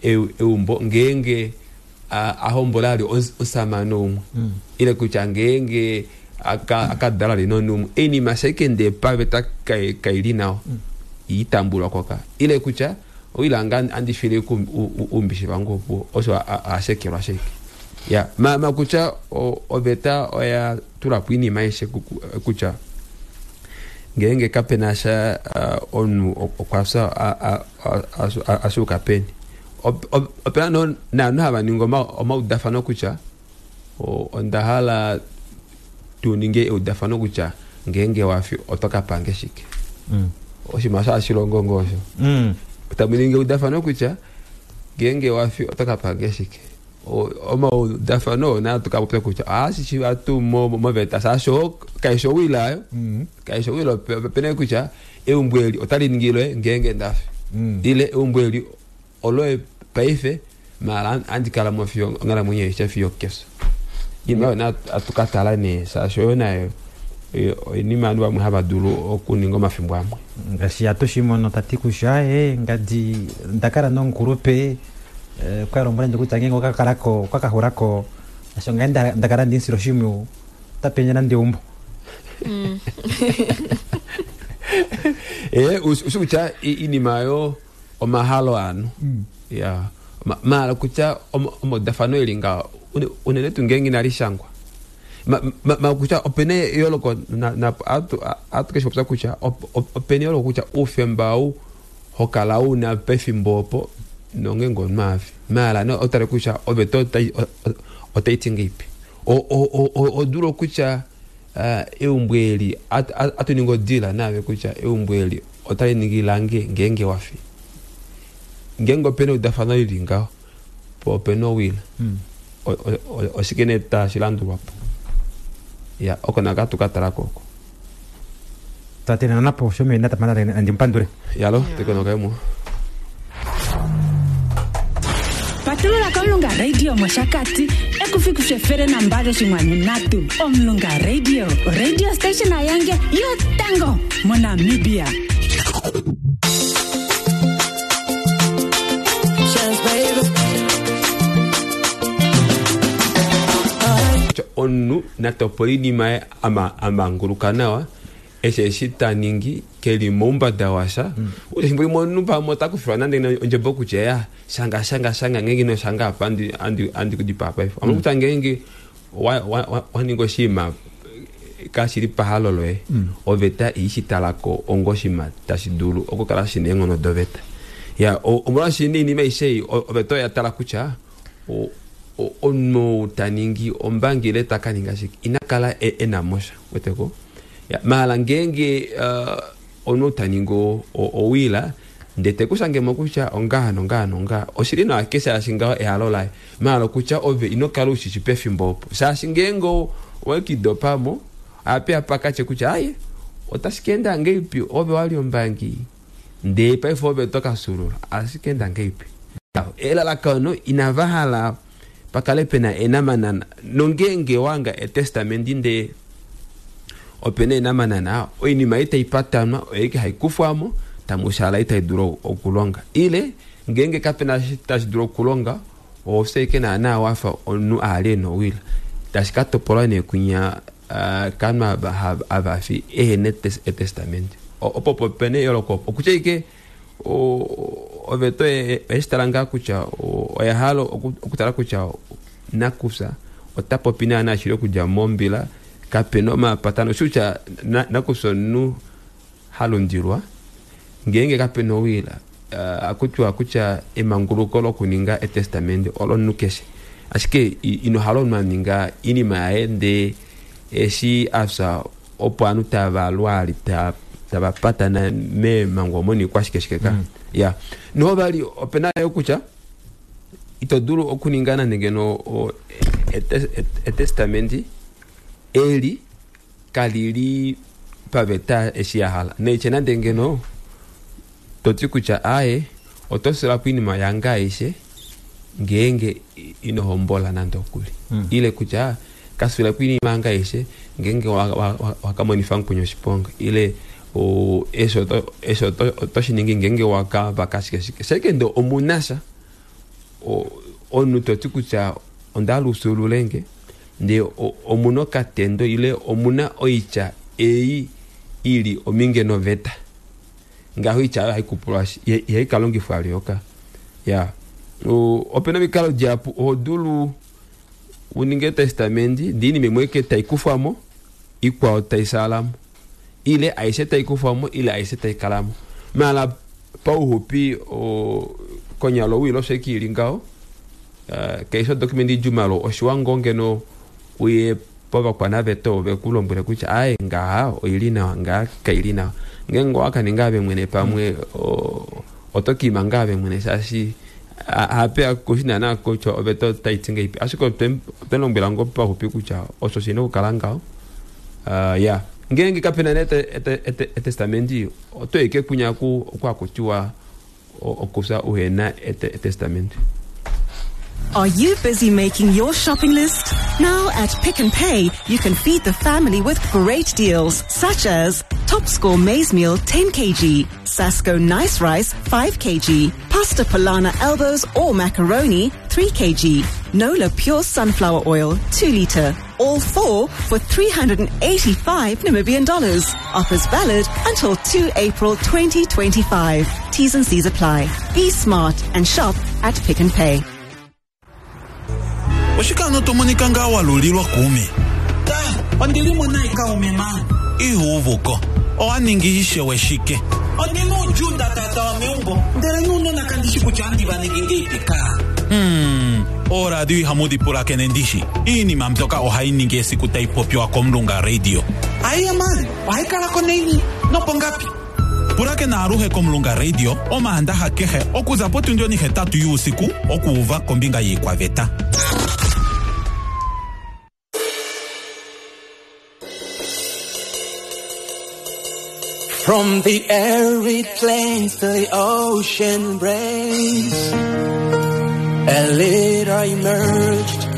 eumbo ngeenge ahombola ali omusamane umwe ile kutya ngeenge akadala ali nonhu umwe einima ashike ndee paveta kaili nawa itambulwa koka ile kutya oilanga andifile umbishi vangu opo osho ashekelwa sheke ya ma ma kutya oveta oya tulapo inima aishe kutya ngeenge kapena sha omunhu okwafya ashuka peni opena naanhu hava ningi omaudafano kutya ondahala tuninge eudafano kutya ngeenge wafi oto kapange shike oshinima osho hashilongo ngo osho tamuningi eudafano kutya ngeenge wafi oto kapange shike omaudafano na tukapopya kutya ohashishiva tuu moveta shaashi kaishi owila ayo kaishi owila opena kutya eumbo eli otali ningilwe ngeenge ndafi ile eumbo eli oloye paife mala andikala mo fiyo onghalamwenyo aishe fiyo kefyo inima oyo na atukatala nee shaashi oyo nayo oinima ovanhu vamwe hava dulu okuninga omafimbo amwe ngaashi atushimono tati kutya e ngadi ndakala nomukulupe kwa lombwela ndje kutya ngeenge okakalako okakahulako asho ngaye ndakala ndinsila oshimwiyu otapenye nande eumbo e ushi kutya inima yo omahalo anu ya mala kutya omaudafano eli nga unene tuu ngeenge inali shangwa Ma- ma- ma kutya opena eyooloko na- na- atu- atu keshi popya kutya op- op- opena eyooloko kutya oufemba ou hokala una pefimbo opo nongenge omunhu afi maala ne otale kutya oveta otai- o- o- otaiti ngeipi O- o- o- o- odulu kutya ah, eumbo eli at- at- atuningi odila naave kutya eumbo eli otali ningi lange ngeenge wafi ngeenge opena eudafano lili ngaho po opena owila O- o- o- oshike nee tashi landulwapo ya oko naka tukatalako oko tate napo shomena tapanda ndimupandule yalo tekonokaimo Patulula komulunga radio moshakati ekufikishe efele nambali oshinkwanu ndatu omulunga radio radio station ayange yotango monamibia Kutya omunhu natopola oinima yaye ama- amanguluka nawa eshi eshi taningi keli moumbada washa mm. efimbo limwe omunhu pamwe otakufilwa nande ondjebo kutya ya shanga shanga shanga ngeenge ino shanga apa andi- andi andi kudipaa paife mm. kutya ngeenge wa- wa- wa- waninga oshinima kashili pahalo loye Mm. oveta iishitalako onga oshinima tashi dulu okukala shina eenghono doveta ya o- omolwaashi niinima aishe ei o- oveta oya tala kutya o- o- omunhu ou taningi ombangi ile taka ninga shike ina kala e- ena mosha weteko ya maala ngeenge uh, omunhu ou taningi o- o- owila ndee tekushangemo kutya ongaha nongaha nongaha oshili nawa keshaashi ngaho ehalo laye maala kutya ove ino kala ushishi pefimbo opo shaashi ngeenge o- owekidopamo ape apakatye kutya aye otashi keenda ngeipi ove wali ombangi ndee paife ove tokasulula ashike enda ngeipi elalakano inava hala pakale pena enamanana nongeenge wanga etestamenti ndee opena enamanana oinima ei taipatanwa oyeike haikufwamo tamushala itai dulu okulonga ile ngeenge kapena eshi tashi dulu okulonga ofye ike naana wafa omunhu ali ena owila tashi ka topolwa nee kunya ah, kanhu ava hava- avafi ehena etes- etestamenti O- opo opo pena eyooloko opo okutya ike o- oveta oye- oyeshitala ngaa kutya o- oya hala oku- okutala kutya nakufya ota popi naana shili okudja mombila kapena omapatano shi kutya na- nakufya omunhu halundilwa ngeenge kapena owila uh, akutiwa kutya emanguluko lokuninga etestamenti olomunhu keshe ashike i- ino hala omunhu aninga inima yaye ndee eshi afya opo ovanhu tava lwali ta- tava patana meemhango omo niikwashikeshike ka Mm. ya noho vali opena yo kutya ito dulu okuninga nande ngeno o- ete- ete- etestamenti eli kalili paveta eshi ya hala neitye nande ngeno toti kutya aye oto sulapo iinima yange aishe ngeenge ino hombola nande okuli Mm. ile kutya kasulapo iinima yange aishe ngeenge wakamonifa mukweni oshiponga ile o, eshi oto- eshi oto- oto shiningi ngeenge wakavaka shike shike sheke omunasha o- omunhu toti kutya onda usululenge ndee o- omuna okatendo ile omuna oitya ei ili ominge noveta ngaho oitya oyo haikupulwa ihai kalongifwa lyoka ya O- opena omikalo dihapu oho dulu uninge etestamenti ndee iinima imwe ike taikufwamo ikwao taisalamo ile aishe taikufwamo ile aishe taikalamo mala pauhupi o, konyala owilo osho ike ili ngaho uh, keisho document idjumalo oshiwa ngoo ngeno uye povakwanaveta ove kulombwele kutya aye ngaha oili nawa ngaha kaili nawa ngeenge owakaninga ave mwene pamwe o- oto kiima ngaa ave mwene shaashi hapeya kushi naana kutya oveta otaiti ngeipi ashike otwe- otwelombwela ngoo pauhupi kutya osho shina okukala ngaho uh, ya ngeenge kapena nee ete- ete- ete- etestamenti oto ike kunya ku okwakutiwa okufya uhena ete- etestamenti Are you busy making your shopping list? Now at Pick n Pay, you can feed the family with great deals such as Top Score Maize Meal ten kilograms, Sasco Nice Rice five kilograms, Pasta Polana Elbows or Macaroni three kilograms, Nola Pure Sunflower Oil two liter. All four for three hundred eighty-five Namibian dollars. Offers valid until two April twenty twenty-five. T's and C's apply. Be smart and shop at Pick n Pay. Oshike ano to monika ngaa wa lulilwa kuume? Ondili mo nayi kaume ma. Ihuuvuko owa ningi ishewe shike? Ondina uudjuu nda tatawa meumbo ndele nuunona kandi shi kutya andi va ningi ngeipi ka. Hmm, ooradio ihamu dhi pulakene ndishi. Iinima mbyoka ohayi ningi esiku tayi popiwa kOmulunga Radio. Aiya man, ohayi kala ko naini nopongapi? Pulakena aluhe kOmulunga Radio omaandaha kehe okuza potundi onihetatu yuusiku okuuva kombinga yiikwaveta. From the arid plains to the ocean embrace, a leader emerged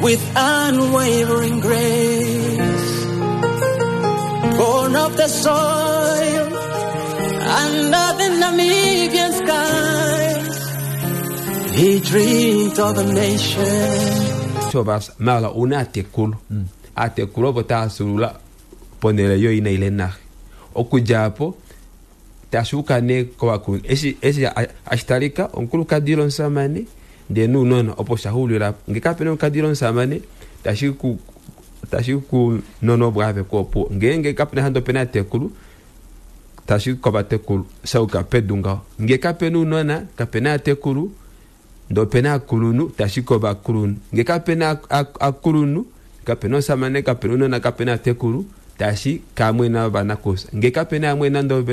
with unwavering grace. Born of the soil under the Namibian skies, he dreamed of a nation. So bas mala una atekulu atekulu opo taasulula ponele yo ina ile nahe okudja apo tashuka ne kovakulunhu eshi eshi ashitalika omukulukadi ile omusamane ndee nounona opo shaxuulila nge kapena omukulukadi ile omusamane tashi ku tashi kunona opo aveko opuwo ngeenge kapena hande opena atekulu tashi kovatekulu shauka pedu ngaho nge kapena ounona kapena atekulu ndee opena akulunhu tashi kovakulunhu nge kapena akulunhu kapena omusamane kapena ounona kapena atekulu tashi kamwena vanakusa nge kapena amwena ndo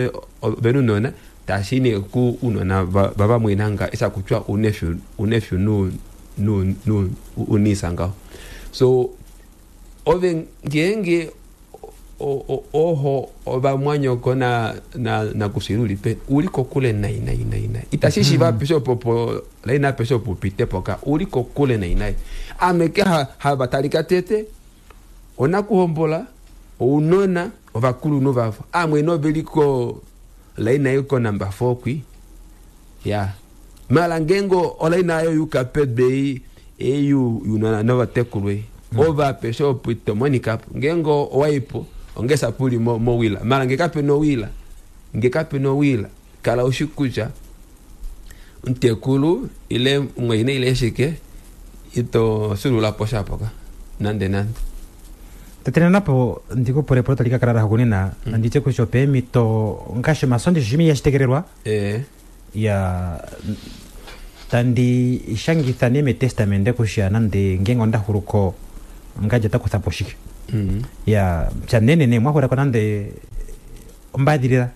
venunona tashi ne ku unona vavamwenanga esakutya unefyu unefyu nu nu nu unisa ngaho so ove ngeenge oho ovamwanyoko na na nakusiluli pe uli kokule nai nai nai nai itashi shiva pesho popo laina pesho pupite poka uli kokule nai nai ameke ha havatalika tete onakuhombola ounona ovakulunhu vavo amwene oveliko laina iko namba four kwi ya mala ngengo olaina ayo yuka pedbei eyu yunona novatekulwe mm. ova pesho pito monica ngengo owaipo ongesa puli mo, mo wila mala ngekape no wila ngekape no wila kala ushikuja ntekulu ile mweine ile shike ito sulula posha poka nande nande Tetena napo ndiko pore pore talika karara hukunena mm. Anditye kusho peemito ngaashi omasondi shimi yashitekelelwa eh ya tandi shangitha ne metestamende kusha nande ngenge ondahuluko ngaje takuthapo shike mm. ya chanene mwahulako nande ombadhilila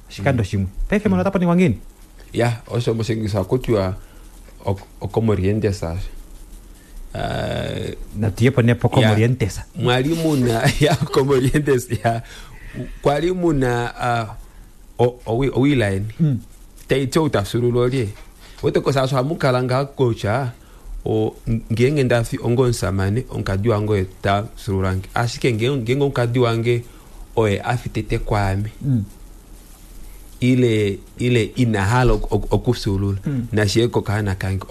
oshikando mm. shimwe paife mono otapo ningwa ngini ya osho moshingisa kutiwa okomorientesa Uh, natuyepo nepo komorientesa mwali muna ya komorientes ya kwali muna uh, owilaeni mm. taityo utasulula olye wetekosa hamukala nga kocha o ngenge ndafi ongo nsamane onkadi wange oye tasululange ashike ngenge onkadi wange oye afitete kwame mm. ile ile inahala okusulula mm. nashiyeko kahana kange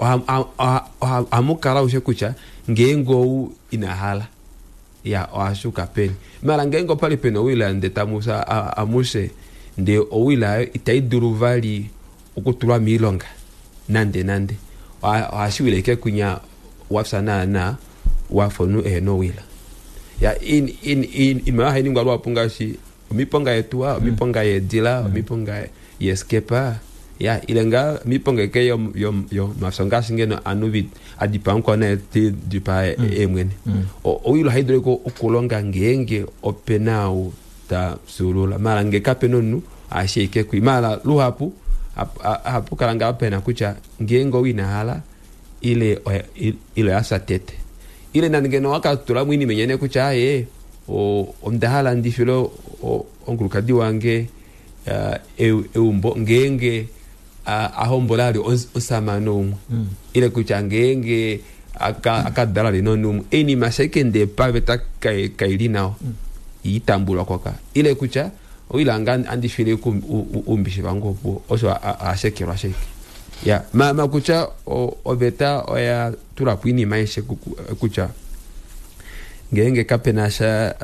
hamukala ushe kutya ngeenge ou inahala ya ohashuka peni mala ngeenge opali pena owila nde tamusa amuse nde owila ayo itayi dulu vali okutulwa miilonga nande nande ohashiwile ike kunya wafya naana wafonu ehena owila ya in in in imayo hainingwa lwapu ngaashi omiponga yetuwa omiponga yeedila omiponga yeskepa ya ile nga miponga eke yo yo yo mafyo ngaashi ngeno anu adipa nkwana ti dipa emwene owilo haidule ko okulonga ngeenge opena ou ta sulula mala nge kapena omunhu ashike kwi mala luhapu hapu kala nga pena kutya ngeenge owinahala ile ile yasa tete ile nande ngeno wakatula mwini menyene kutya aye ondahala ndifilo onkulukadi wange eumbo ngeenge ahombola ali osamane umwe ile kutya ngeenge akadala lino umwe enima sheke paveta kaili nawa itambulwa kwaka ile kutya oilanga andifile umbishi vangu opo osho ashekelwa sheke ya ma kutya oveta oya tulapo inima aishe kutya ngeenge kapena sha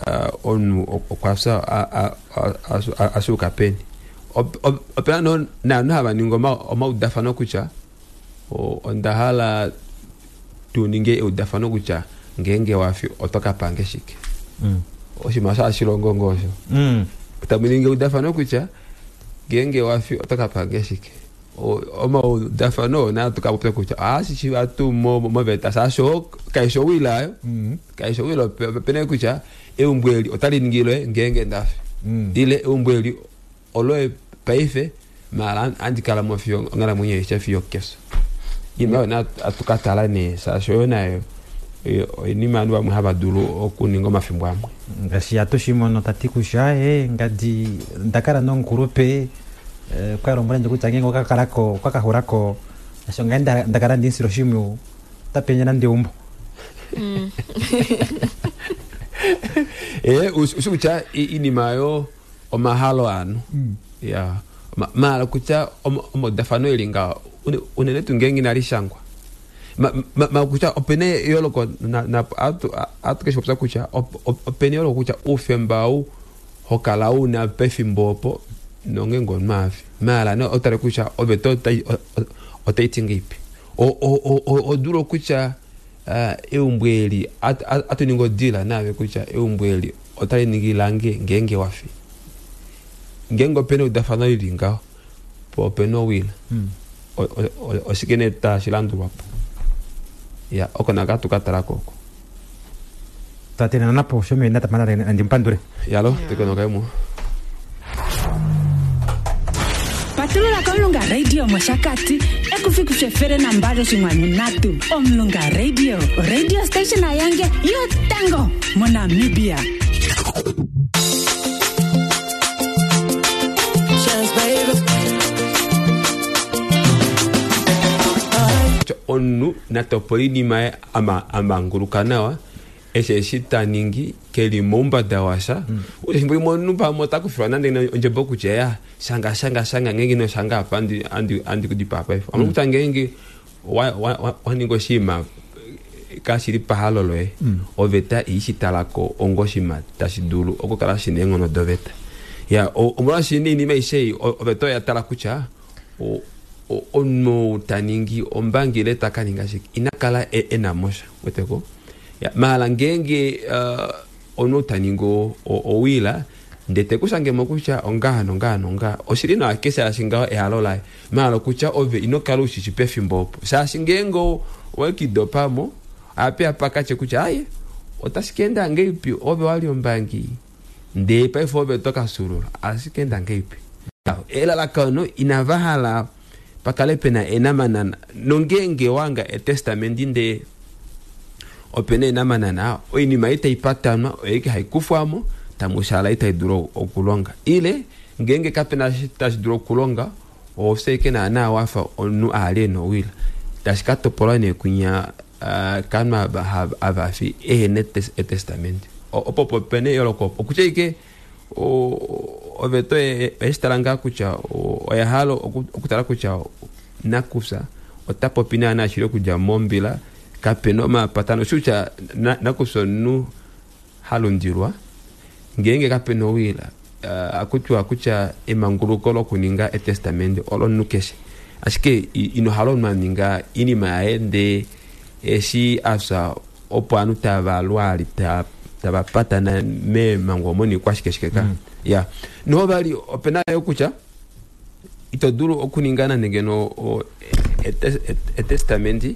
omunhu okwafya ashuka peni opena naanhu hava ningi omaudafano kutya ondahala tuninge eudafano kutya ngeenge wafi oto ka pange shike. Mm. Oshinima osho hashi longo ngoo osho. Mm. Tamu ningi eudafano kutya ngeenge wafi oto ka pange shike. O- omaudafano oo naa tuka popya kutya ohashi shiva tuu mo- moveta shaashi oo kaishi owila ayo. Kaishi owila, ope- opena kutya eumbo eli otali ningilwe ngeenge ndafi. Ile eumbo eli oloye paife maala handi kala mo fiyo onghalamwenyo aishe fiyo kefyo. Iinima oyo naa hatu ka tala nee shaashi oyo nayo oyo- oinima ovanhu vamwe hava dulu okuninga omafimbo amwe. Ngaashi hatu mono tati kutya e ngadi ndakala nomukulupe eh, kwa lombwela ndje kutya ngeenge okakalako okakaxulako asho ngai nda- ndakala ndinsila oshimwiyu otapenye nande eumbo. Eh, ushi ushi kutya i- iinima yo omahalo anu. Ya Ma- maala kutya om- omaudafano eli ngaho une- unene tuu ngeenge inali shangwa. Ma- ma- ma kutya opena eyooloko na- na- atu- atu keshi popya kutya op- op- opena eyooloko kutya oufemba ou hokala una pefimbo opo nongeenge omunhu afi. Maala nee otale kutya oveta otai- o- o- otai ti ngeipi. O- o- o- o- odulu kutya ah, eumbo eli at- at- atu ningi odila naave kutya eumbo eli otali ningi lange ngeenge wafi. Ngeenge opena eudafano lili ngaho po opena owila. O- o- o- oshike nee tashi landulwa po. Ya oko naka hatu ka talako oko. Twatenena napo shomene tapana nandi mupandule. Yalo tekonokaimwe. Patulula komulunga radio moshakati ekufiku efele nambali oshinkwanu nhatu. Omulunga Radio, radio station yange yotango moNamibia. Chance, baby. Kutya omunhu natopola oinima yaye ama- amanguluka nawa eshi eshi taningi keli moumbada washa. Ule efimbo limwe omunhu pamwe ota kufilwa nande ondjebo kutya ya shanga shanga shanga ngeenge ino shanga apa andi andi andi kudipaa paife. Omuna kutya ngeenge wa- wa- wa- waninga oshinima kashili pahalo loye, oveta iishi talako onga oshinima tashi dulu okukala shina eenghono doveta. Ya o- omolwaashi nee iinima aishe ei o- oveta oya tala kutya o- o- omunhu ta ningi ombangi ile ta ka ninga shike ina kala e- ena mosha weteko. Ya, maala ngeenge uh, omunhu ta ningi o- o- owila ndee tekushangemo kutya ongaha nongaha nongaha oshili nawa keshe shaashi ngaho ehalo laye, maala kutya ove ino kala ushishi pefimbo opo shaashi ngeenge o- owekidopamo ape pakatye kutya aye otashi ka enda ngeipi ove wali ombangi ndee paife ove to ka sulula otashi enda ngeipi. Elalakano inava hala pakale pena enamanana nongeenge wanga etestamenti ndee opena enamanana oinima ei taipatanwa oyeike haikufwamo tamushala itai dulu okulonga ile ngeenge kapena eshi tashi dulu okulonga ofye ike naana wafa omunhu ali ena owila tashi ka topolwa nee kunya ah, kanhu ava hava- avafi ehena etes- etestamenti. O- opo opo pena eyooloko opo okutya ike o- oveta oye- oyeshitala ngaa kutya o- oya hala oku- okutala kutya nakufya ota popi naana shili okudja mombila kapena omapatano oshi kutya na- nakufya omunhu halundilwa ngeenge kapena owila uh, akutiwa kutya emanguluko lokuninga etestamenti olomunhu keshe ashike i- ino hala omunhu aninga iinima yaye ndee eshi afya opo ovanhu tava lwali ta- tava patana meemango omo niikwashikeshike ka. Ya noho vali opena yo kutya ito dulu okuninga nande ngeno o- ete- ete- etestamenti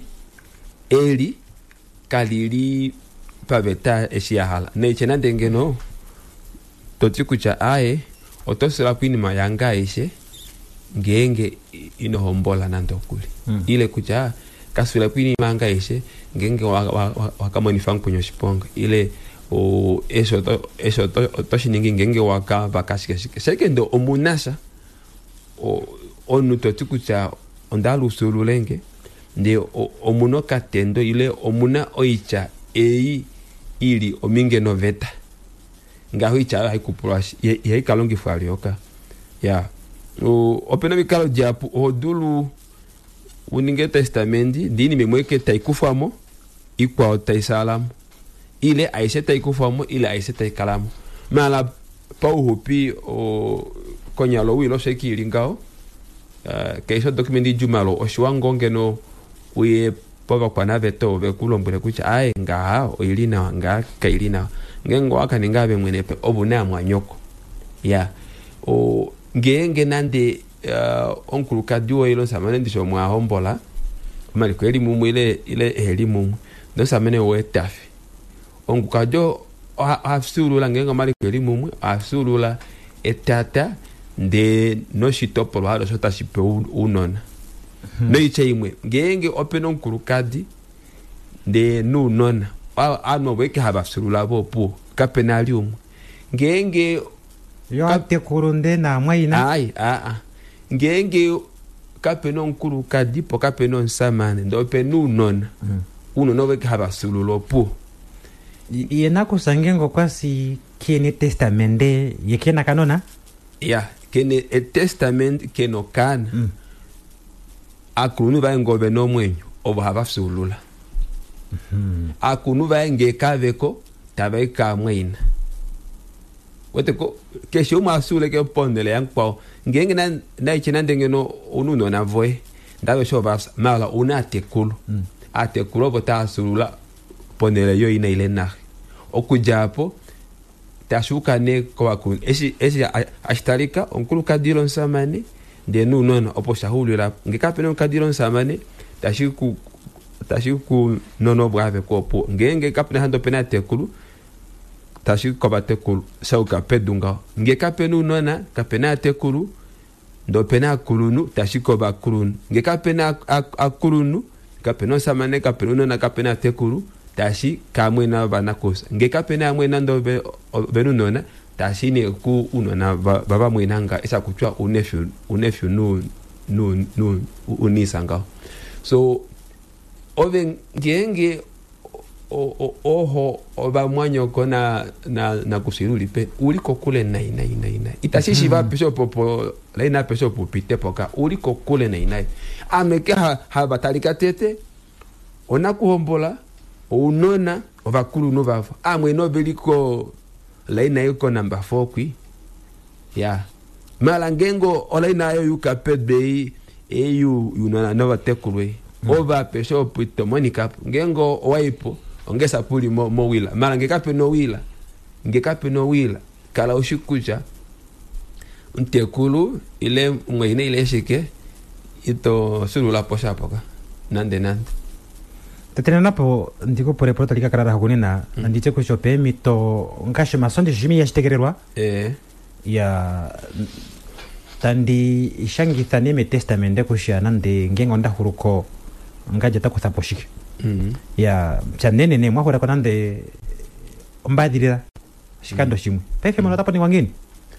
eli kalili paveta eshi yahala neitye nande ngeno toti kutya aye oto sula iinima yange aishe ngeenge ino hombola nande okuli. Mm. Ile kutya kasula iinima yange aishe ngeenge wakamonifa mukweni oshiponga ile o- eshi oto- eshi oto- oto shiningi ngeenge wakavaka shike shike shekende omunasha o- omunhu toti kutya onda lusululenge ndee o- omuna okatendo ile omuna oitya ei ili ominge noveta ngaho oitya oyo haikupulwa ihai kalongifwa lyoka. Ya O- opena omikalo dihapu oho dulu uninge etestamenti ndee iinima imwe ike taikufwamo ikwao taisalamo ile aishe taikufwamo ile aishe taikalamo maala pauxupi o- konyala owila osho ike ili ngaho. Uh, keshe odocument idjumalo oshiwa ngoo ngeno uye povakwanaveta ove ku lombwele kutya aye ngaha oili nawa ngaha kaili nawa ngeenge owakaninga ave mwene pe ovu na mwanyoko ya o ngeenge nande uh, omukulukadi woye ile omusamane ndishi omwahombola omaliko eli mumwe ile ile eheli mumwe nomusamane woye tafi omukulukadi ohafyuulula ngeenge omaliko eli mumwe ohafyuulula etata ndee noshitopolwa halo osho tashi pe ounona hmm. Noitya imwe ngeenge opena omukulukadi ndee nounona ovanhu ovo eke hava fyuulula vopuwo kapena ali umwe ngeenge yo atekulu nde naamwaina ai aa ngeenge kapena omukulukadi po kapena omusamane ndee opena ounona mm. Ounona ovo eke hava fyuulula opuwo ye nakusa ngeenge okwasi kene testamende ye kena kanona ya kene etestament kena okaana mm. Akulunhu vaye ngee ovena omwenyo ovo hava fyuulula mm-hmm. Akulunhu vaye ngee kaveko tavai kaamwaina weteko keshe umwe afyuuleke ponhele yamukwao ngeenge naitye nande ngeno ouna ounona voye ndaveshe ovafya mala ouna atekulu mm. Atekulu ovo taafyuulula ponhele yoina ile naxe okudja apo tashuuka nee kovakulunhu eshi eshi ashitalika omukulukadi ile omusamane ndee nounona opo shaxuulila ngee kapena omukadi ile omusamane tashi ku tashi ku nona opo aveko opo ngeenge kapena hande opena atekulu tashi kovatekulu shauka pedu ngaho ngee kapena ounona kapena atekulu ndee opena akulunhu tashi kovakulunhu ngee kapena akulunhu kapena omusamane kapena ounona kapena atekulu tashi kamwena vanakusa ngee kapena amwena ndee ovena ounona tashi ne ku unona vavamwena nga esa kutya unefyu unefyu nu nu nu unisa ngaho so ove ngeenge oho ovamwanyoko na na nakusiruli pe uli kokule nai nai nai nai itashi shiva pesho popo laina pesho pupite poka uli kokule nai nai ameke ha havatalika tete onakuhombola ounona ovakulunhu vavo amwene oveliko laina iko number four kwi ya mala ngengo olaina ayo yuka pedbei eyu yunona novatekulwe mm. Ova pesho pito monica ngengo owaipo ongesa puli mo, mo wila mala ngekape no wila ngekape no wila kala oshikucha ntekulu ile mweine ile shike ito sulula posha poka nande nande tetena napo ndikupule epulo tali ka kala lahugunina mm. Nanditye kutya ope emito ngaashi omasondi shimi yashitegelelwa eh. Ya tandi shangitha nee metestamende kutya nande ngeenge ondaxuluko ngaje takuthapo shike mm. Ya pya nene mwahulako nande ombaadhilila oshikando mm. Shimwe paife mono otapo ningwa ngiini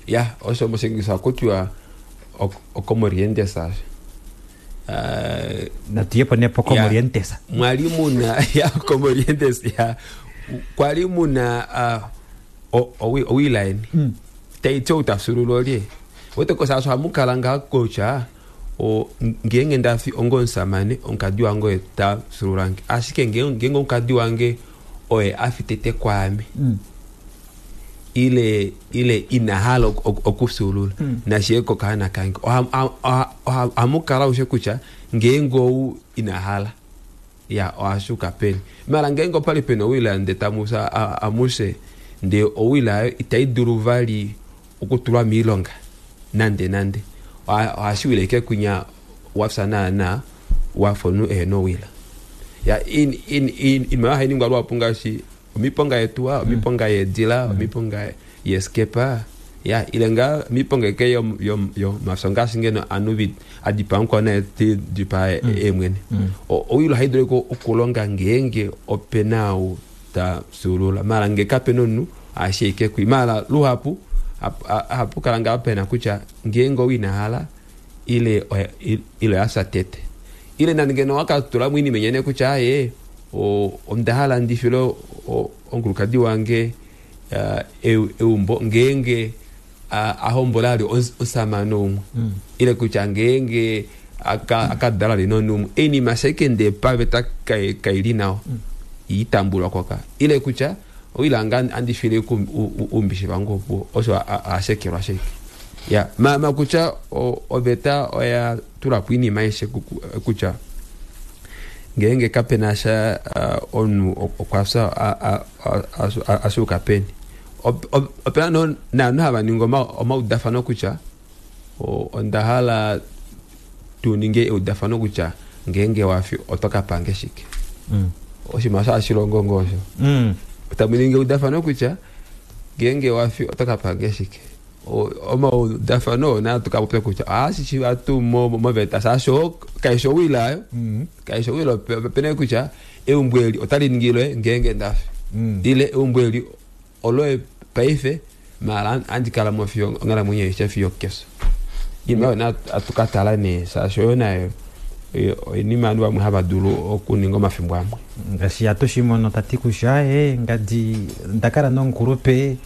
ya osho moshingisa kutya okomorientesa Uh, natuyepo nepo komorientesa mwali muna ya komorientes ya kwali muna uh, owilaini mm. Taitye utafyuulula olye wetekosa hamukala nga kutya o ngeenge ndafi ongo omusamane omukadi wange oye tafyuululange ashike ngeenge omukadi wange oye afi tete kwaame mm. Ile ile inahala okufyuulula mm. Nashiye kokahana kange ohamukala ushe kutya ngeenge ou inahala ya ohashuka peni mala ngeenge opali pena owila nde tamusa amuse ndee owila ayo itai dulu vali okutulwa miilonga nande nande ohashiwile ike kunya wafya naana wafa omunhu ehena owila ya in in in inima oyo hainingwa luhapu ngaashi omiponga yetuwa omiponga yeedila omiponga yeskepa ya ile nga miponga eke yo yo yo mafyo ngaashi ngeno anu adipaa mukwao naye tidipaa eemwene owilo ohaidulu okulonga ngeenge opena ou tafyuulula mala ngee kapena omunhu ohashi ike kwi mala luhapu hapukala ngaa pena kutya ngeenge ou inahala ile ile oyafya tete ile nande ngeno wakatulamo oinima inyene kutya aye ondahala ndifile omukulukadi wange eumbo ngeenge ahombola ali omusamane umwe ile kutya ngeenge akadala ali nonhu umwe oinima ashike ndee paveta kaili nawa itambulwa koka ile kutya oilanga andifile umbishi vangu opo osho ashekelwa sheke ya ma ma kutya oveta oya tulapo oinima aishe kutya Ngeenge kapena sha omunhu okwa fya ashuka peni. Opena naanhu hava ningi omaudafano kutya onda hala tu ninge eudafano kutya ngeenge wafi oto ka pange shike. Oshinima osho hashi longo ngoo osho. Tamu ningi eudafano kutya ngeenge wafi oto ka pange shike. Omaudafano oo naa tukapopya kutya ohashishiva tuu moveta shaashi kaishi owila ayo. Kaishi owila opena kutya eumbo eli otali ningilwe ngeenge ndafi. Ile eumbo eli oloye paife maala handi kala mo fiyo onghalamwenyo aishe fiyo kefyo. Iinima oyo naa hatukatala nee shaashi oyo nayo oinima ovanhu vamwe hava dulu okuninga omafimbo amwe. Ngaashi hatushimono tati kutya ee ngadi ndakala nomukulupe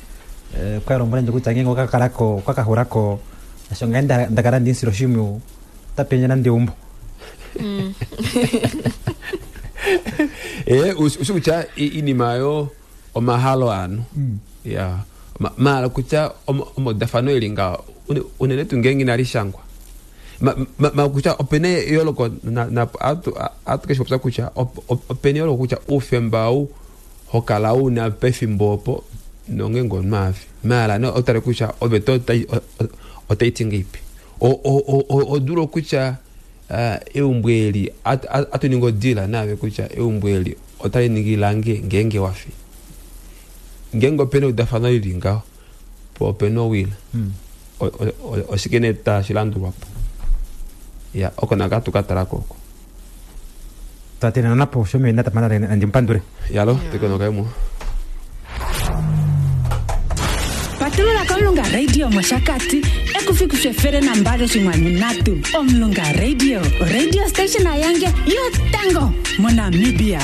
kwa lombwela kutya ngeenge okakalako okakaxulako asho ngai ndakala ndimusila oshimpwiyu otapendje nande eumbo. Ee ushi kutya iinima oyo omahalo aanhu. Ya maala kutya omaudafano eli ngaho unene tuu ngeenge inali shangwa. Ma kutya opena eyooloko ohatu keshi popya kutya opena eyooloko kutya oufemba ou hokala una pefimbo opo nongeenge omunhu afi. Maala nee otale kutya oveta otaiti ngeipi. Odulu kutya eumbo eli atu ningi odila naave kutya eumbo eli otali ningi lange ngeenge wafi. Ngeenge opena eudafano lili ngaho po opena owila. Oshike nee tashi landulwapo. Ya oko naka tukatalako oko. Twatena napo shomena tamana ndimupandule. Yalo tekonokaimwe. Patulula kOmulunga Radio mOshakati ekufiku efele nambali oshinkwanu ndatu. Omulunga Radio, radio station ayange yotango moNamibia.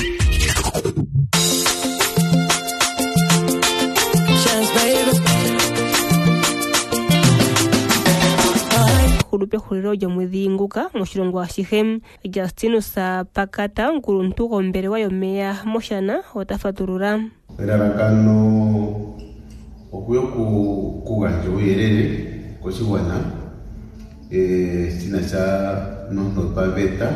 Hulu pehulilo lyomwedhi nguka moshilongo ashihe. Justinus Pakata, omukuluntu gombelewa yomeya mOshana, ota fatulula. Elalakano okuya okugandja uuyelele koshigwana shina sha nontotwaveta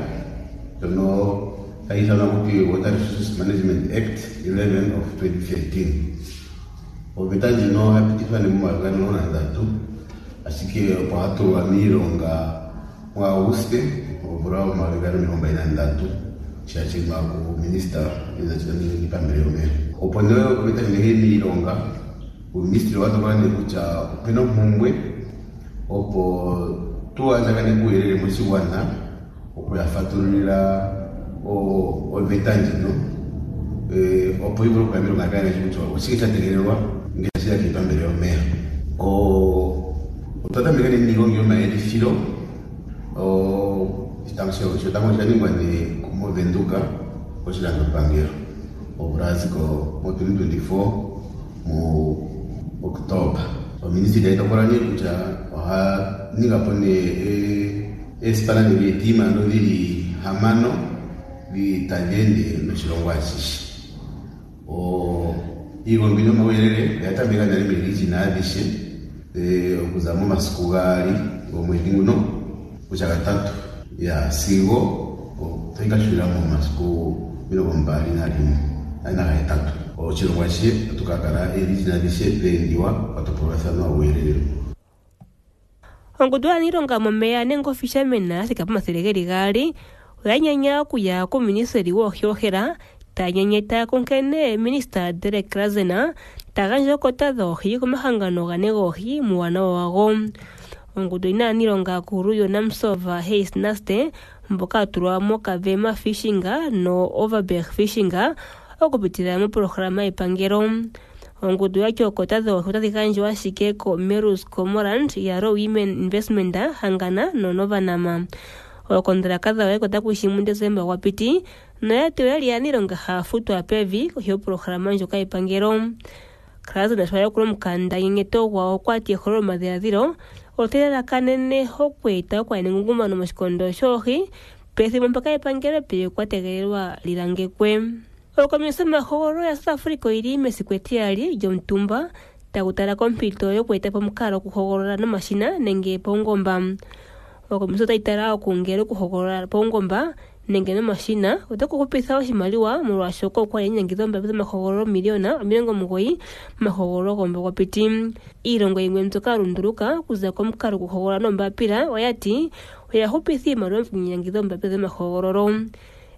ndjono tayi ithanwa kuti Water Resources Management Act eleven of twenty thirteen. Oveta ndjino oya pitithwa nee momayovi gaali omulongo nandatu, ashike opo hatulwa miilonga muAuguste omvula omayovi gaali omilongo mbali nandatu, shashimwa kuminista niipambele yomeya. Opo nee oveta ndjino iye miilonga, uuministili owa tokola nee kutya opena ompumbwe opo tu andjaganeke uuyelele moshigwana okuya fatululila oveta ndjino opo yi vule okuya miilonga yakale kutya oshike sha tegelelwa ngele tashiya kiipambele yomeya. Otwa tameka nee niigongi yomayelithilo. Shotango osha ningwa nee moVenduka koshilandopangelo omvula ya ziko mo twenty twenty-four mu Oktoba. Oministili tayi tokola nee kutya oha ninga po nee eesipana nenge eetima ndho dhili hamano tadhi ende noshilongo ashihe. Iigongi yomauyelele oya tameka nale meerijina adhihe okuza momasiku gaali gomwedhi nguno kutya gatatu ya sigo otayi ka hulila momasiku omilongo mbali nalimwe nagahetatu. Oshilongo ashihe otatu ka kala eerijina adhihe dheendiwa kwatopolwathana uuyelele. Ongundu yaaniilonga momeya nenge ofishermen ya thika pomathele geli gaali oya nyanya okuya kuuministeli woohi ohela taya nyenyeta kunkene minista Derek Klazen ta gandja ookota dhoohi komahangano gane goohi muuwanawa wago. Ongundu oyina aaniilonga aakulu yoNamsov Hayes Naste mboka ya tulwa moKavema Fishing no Overberg Fishing okupitila mopolohalama yepangelo. Ongundu yati ookota dhoohi otadhi gandjwa ashike koMerus Cormorant yaRow Women Investment Hangana noNovanam. Ookontalaka dhawo oya kushi muDesemba gwa piti noyati oyali aaniilonga haya futwa pevi kohi yopolohalama ndjoka yepangelo. Klazen sho a yakula omukanda nyenyeto gwawo okwati ehololo lyomadhiladhilo otali lalakanene okweeta okwaana engungumano moshikondo shoohi pethimbo mpaka epangelo epe kwa tegelelwa li langekwe. Okomisi yomahogololo ya South Africa oyili mesiku etiyali lyomutumba tagu tala kompito yokweeta po omukalo gokuhogolola nomashina nenge paungomba. Okomisi otayi tala okungele okuhogolola paungomba nenge nomashina otaku hupitha oshimaliwa molwaashoka okwa li nyanyangidha oombapila dhomahogololo miliyona omilongo omugoyi momahogololo gomumvo gwa piti. Iilongo yimwe mbyoka ya lunduluka okuza komukalo gokuhogolola noombapila oya ti oya hupitha iimaliwa mokunyanyangidha oombapila dhomahogololo.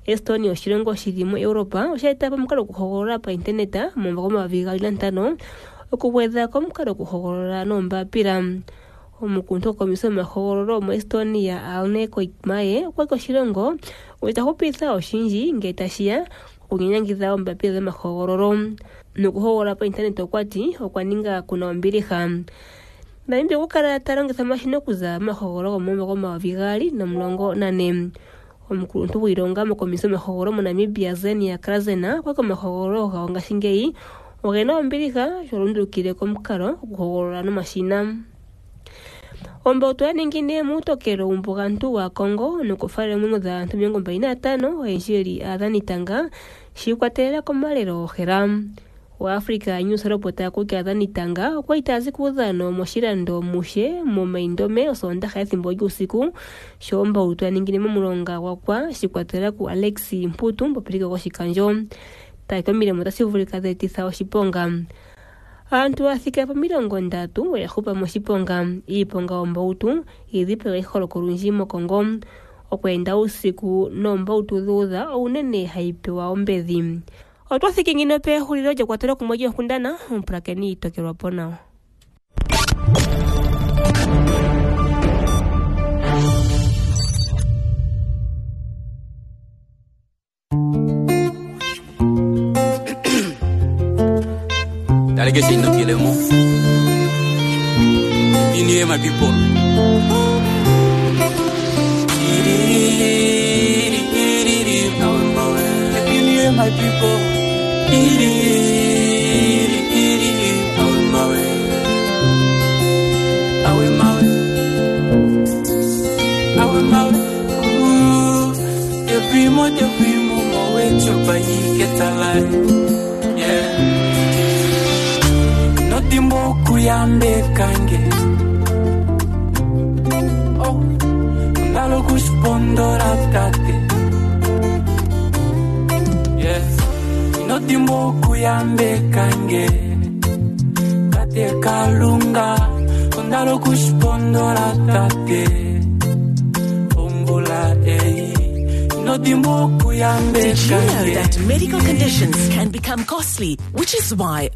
Estonia oshilongo shili muEuropa osha eta po omukalo gokuhogolola paintaneta momumvo gomayovi gaali nantano okugwedha komukalo gokuhogolola noombapila. Omukuluntu gokomisi yomahogololo moEstonia Arne Koikmae okwa ti oshilongo ota hupitha oshindji ngele tashiya kokunyanyangidha oombapila dhomahogololo. Nokuhogolola paintaneta okwa ti okwa ninga kuna ombiliha. Namibia okwa kala ta longitha omashina okuza momahogololo gomumvo gomayovi gaali nomulongo nane. Omukuluntu gwiilonga mokomisi yomahogololo moNamibia Zenia Krazena okwa ti omahogololo gawo ngashingeyi ogena ombiliha sho lundulukile komukalo gokuhogolola nomashina. Ombautu ya ningine muutokelo wumbugantu wa Congo nokufalela oomwenyo dhaantu omilongo mbali nantano oyendji yeli aadhanitanga shi ikwatelela komalelo gohela. Wa Africa News lopota kutya aadhanitanga okwa li taya zi kuudhano moshilando Mushe moMaindome osoondaha ethimbo lyuusiku sho ombautu ya ningine momulonga gwakwa shi ikwatelela ku Alex Mputu mupopiliko goshikandjo. Tati omilemo otashi vulika dha etitha oshiponga. Aantu ya thika pomilongo ndatu oya hupa moshiponga. Iiponga yombautu idhipaga iholoko olundji moKongo. Okweenda uusiku noombautu dhuudha ounene hayi pewa ombedhi. Otwa thiki ngino pehulilo lyekwatelo kumwe lyoonkundana omupulakeni itokelwa po nawa. Delegation Nokilemo. You hear my people. You hear my people. Every month, every moment, wait to buy get alive. Yeah. Notimbo kuyambe kange. Oh, ndalo kuspondora tate. Yeah. Notimbo kuyambe kange. Tate kalunga, ndalo kuspondora tate. Ombola ei. Notimbo kuyambe Did you know kange. that medical conditions can become costly, which is why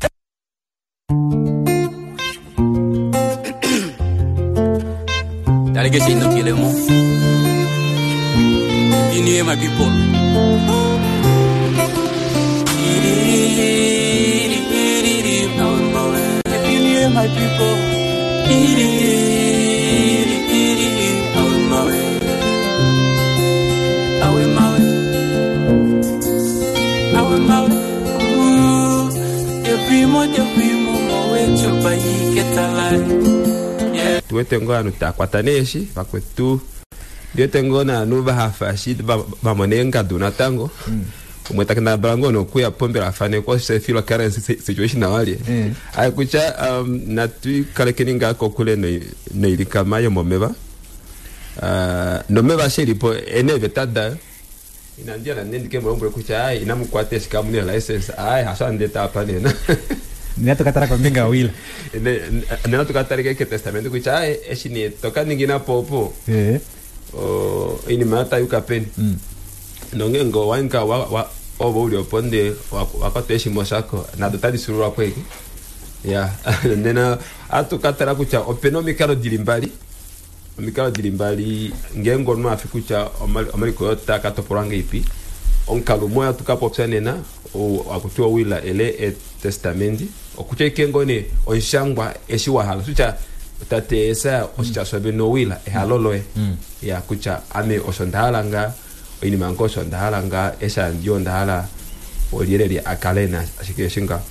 Delegation Nokilemo. You hear my people. You hear my people. Every month, every moment, wait to buy get alive. Yeah. Tuwete ngo anu takwata neeshi vakwetu ndiwete ngo naanu vahafa shi vamone engadu natango umwe takendabala ngo nokuya pombela afanekwa sefilwa current situation awalye ayi kutya um, natuikalekeni ngaa kokule noilikama yomomeva uh, nomeva shelipo eneeveta dayo inandiya nandendike mulombwele kutya ayi inamukwata eshi kamuna license ayi hasho andeta apa nena nena tukatala kombinga yowila nena tukatalike ketestamento kutya ayi eshi ne tokaningi napo Eh. oinima yatayuka peni nonge ngo wainga ovo uli opo nde wakwata eshimo shako nado tadi sululwa kweke ya nena atukatala kutya opena omikalo dili mbali omikalo dili mbali ngeenge omunhu afi kutya omaliko oyo takatopolwa ngeipi omukalo umwe atukapopya nena akutiwa owila ele etestamenti okutya ike ngoo nee omushangwa eshi wahala kutya tate Esaya oshitya shove nowila ehalo loye ya kutya ame osho ndahala nga oinima yange osho ndahala nga eshi andiyo ndahala olyelele akale na ashike eshi nga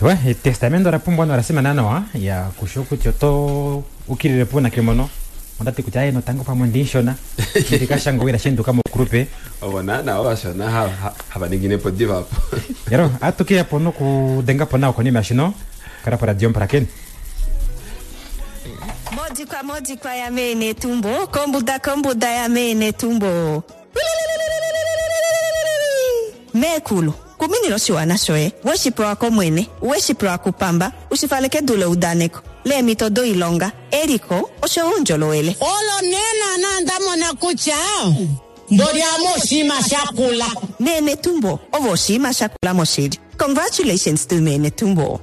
we etestamento ola pumbwa nola simana nawa ya kusho kutya oto ukilile po nakimono ondati kutya aye notango pamwe ndinshona ndikashanga owila shenduka mokulupe ovo naana ovashona hava ninginepo diva apo yaro atukiyapo nokudengapo nawa konima yashino kala po radio mpulakeni. Modikwa modikwa ya mene tumbo, kombuda kombuda ya mene tumbo. Meekulu, kuminila oshiwana shoye, weshi pewa kOmwene, weshi pewa kupamba, ushi fale kedu leudaneko, leemhito doilonga, eliko oshowo oundjolowele. Olo nee naana nda mona kutya mboli ame oshinima shakula. Mee Netumbo, ovo oshinima shakula moshili. Congratulations to Mee Netumbo.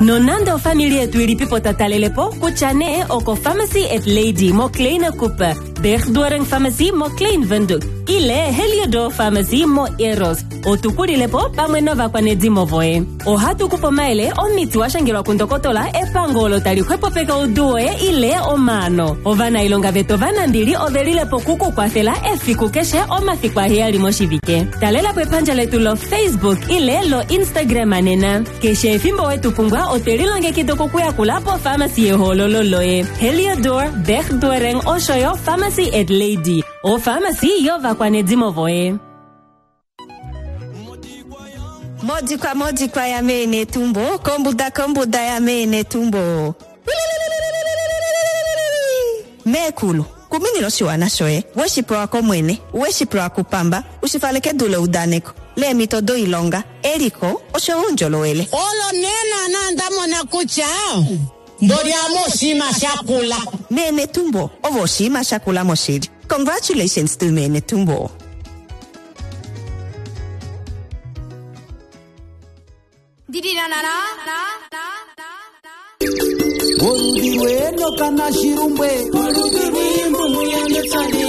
Nonande ofamili yetu ilipipo tatalelepo kutya nee oko Pharmacy at Lady mo Kleine Cooper, Bergdoring Pharmacy mo Klein Windhoek ile Heliodor Pharmacy mo Eros, otukulilepo pamwe novakwanedimo voye. Ohatu kupe omayele omiti wa shangelwa kundokotola epango olo tali xwepopeka oudu woye ile omaano. Ovanailonga vetu ovanambili ove lilepo kukukwafela efiku keshe omafiku aheyali moshivike. Talelapo epandja letu lo Facebook ile lo Instagram nena. Keshe efimbo wetu pumbwa otwe lilongekida okukuyakula pofamasi yehoololo loye. Heliodor, Bergdoring osho yo Pharmacy at Lady, ofamasi yovakwanedimo voye. Modikwa modikwa ya Mee Netumbo, kombuda kombuda ya Mee Netumbo. Meekulu, kuminila oshiwana shoye, weshi pewa kOmwene, weshi pewa kupamba, ushi fale kedu leudaneko, leemhito doilonga, eliko oshowo oundjolowele. Olo nee naana nda mona kutya mboli ame oshinima shakula. Mee Netumbo, ovo oshinima shakula moshili. Congratulations to Mee Netumbo. Oludhi lwenoka nashirumbwe oludhi lwiimbumu yanetsale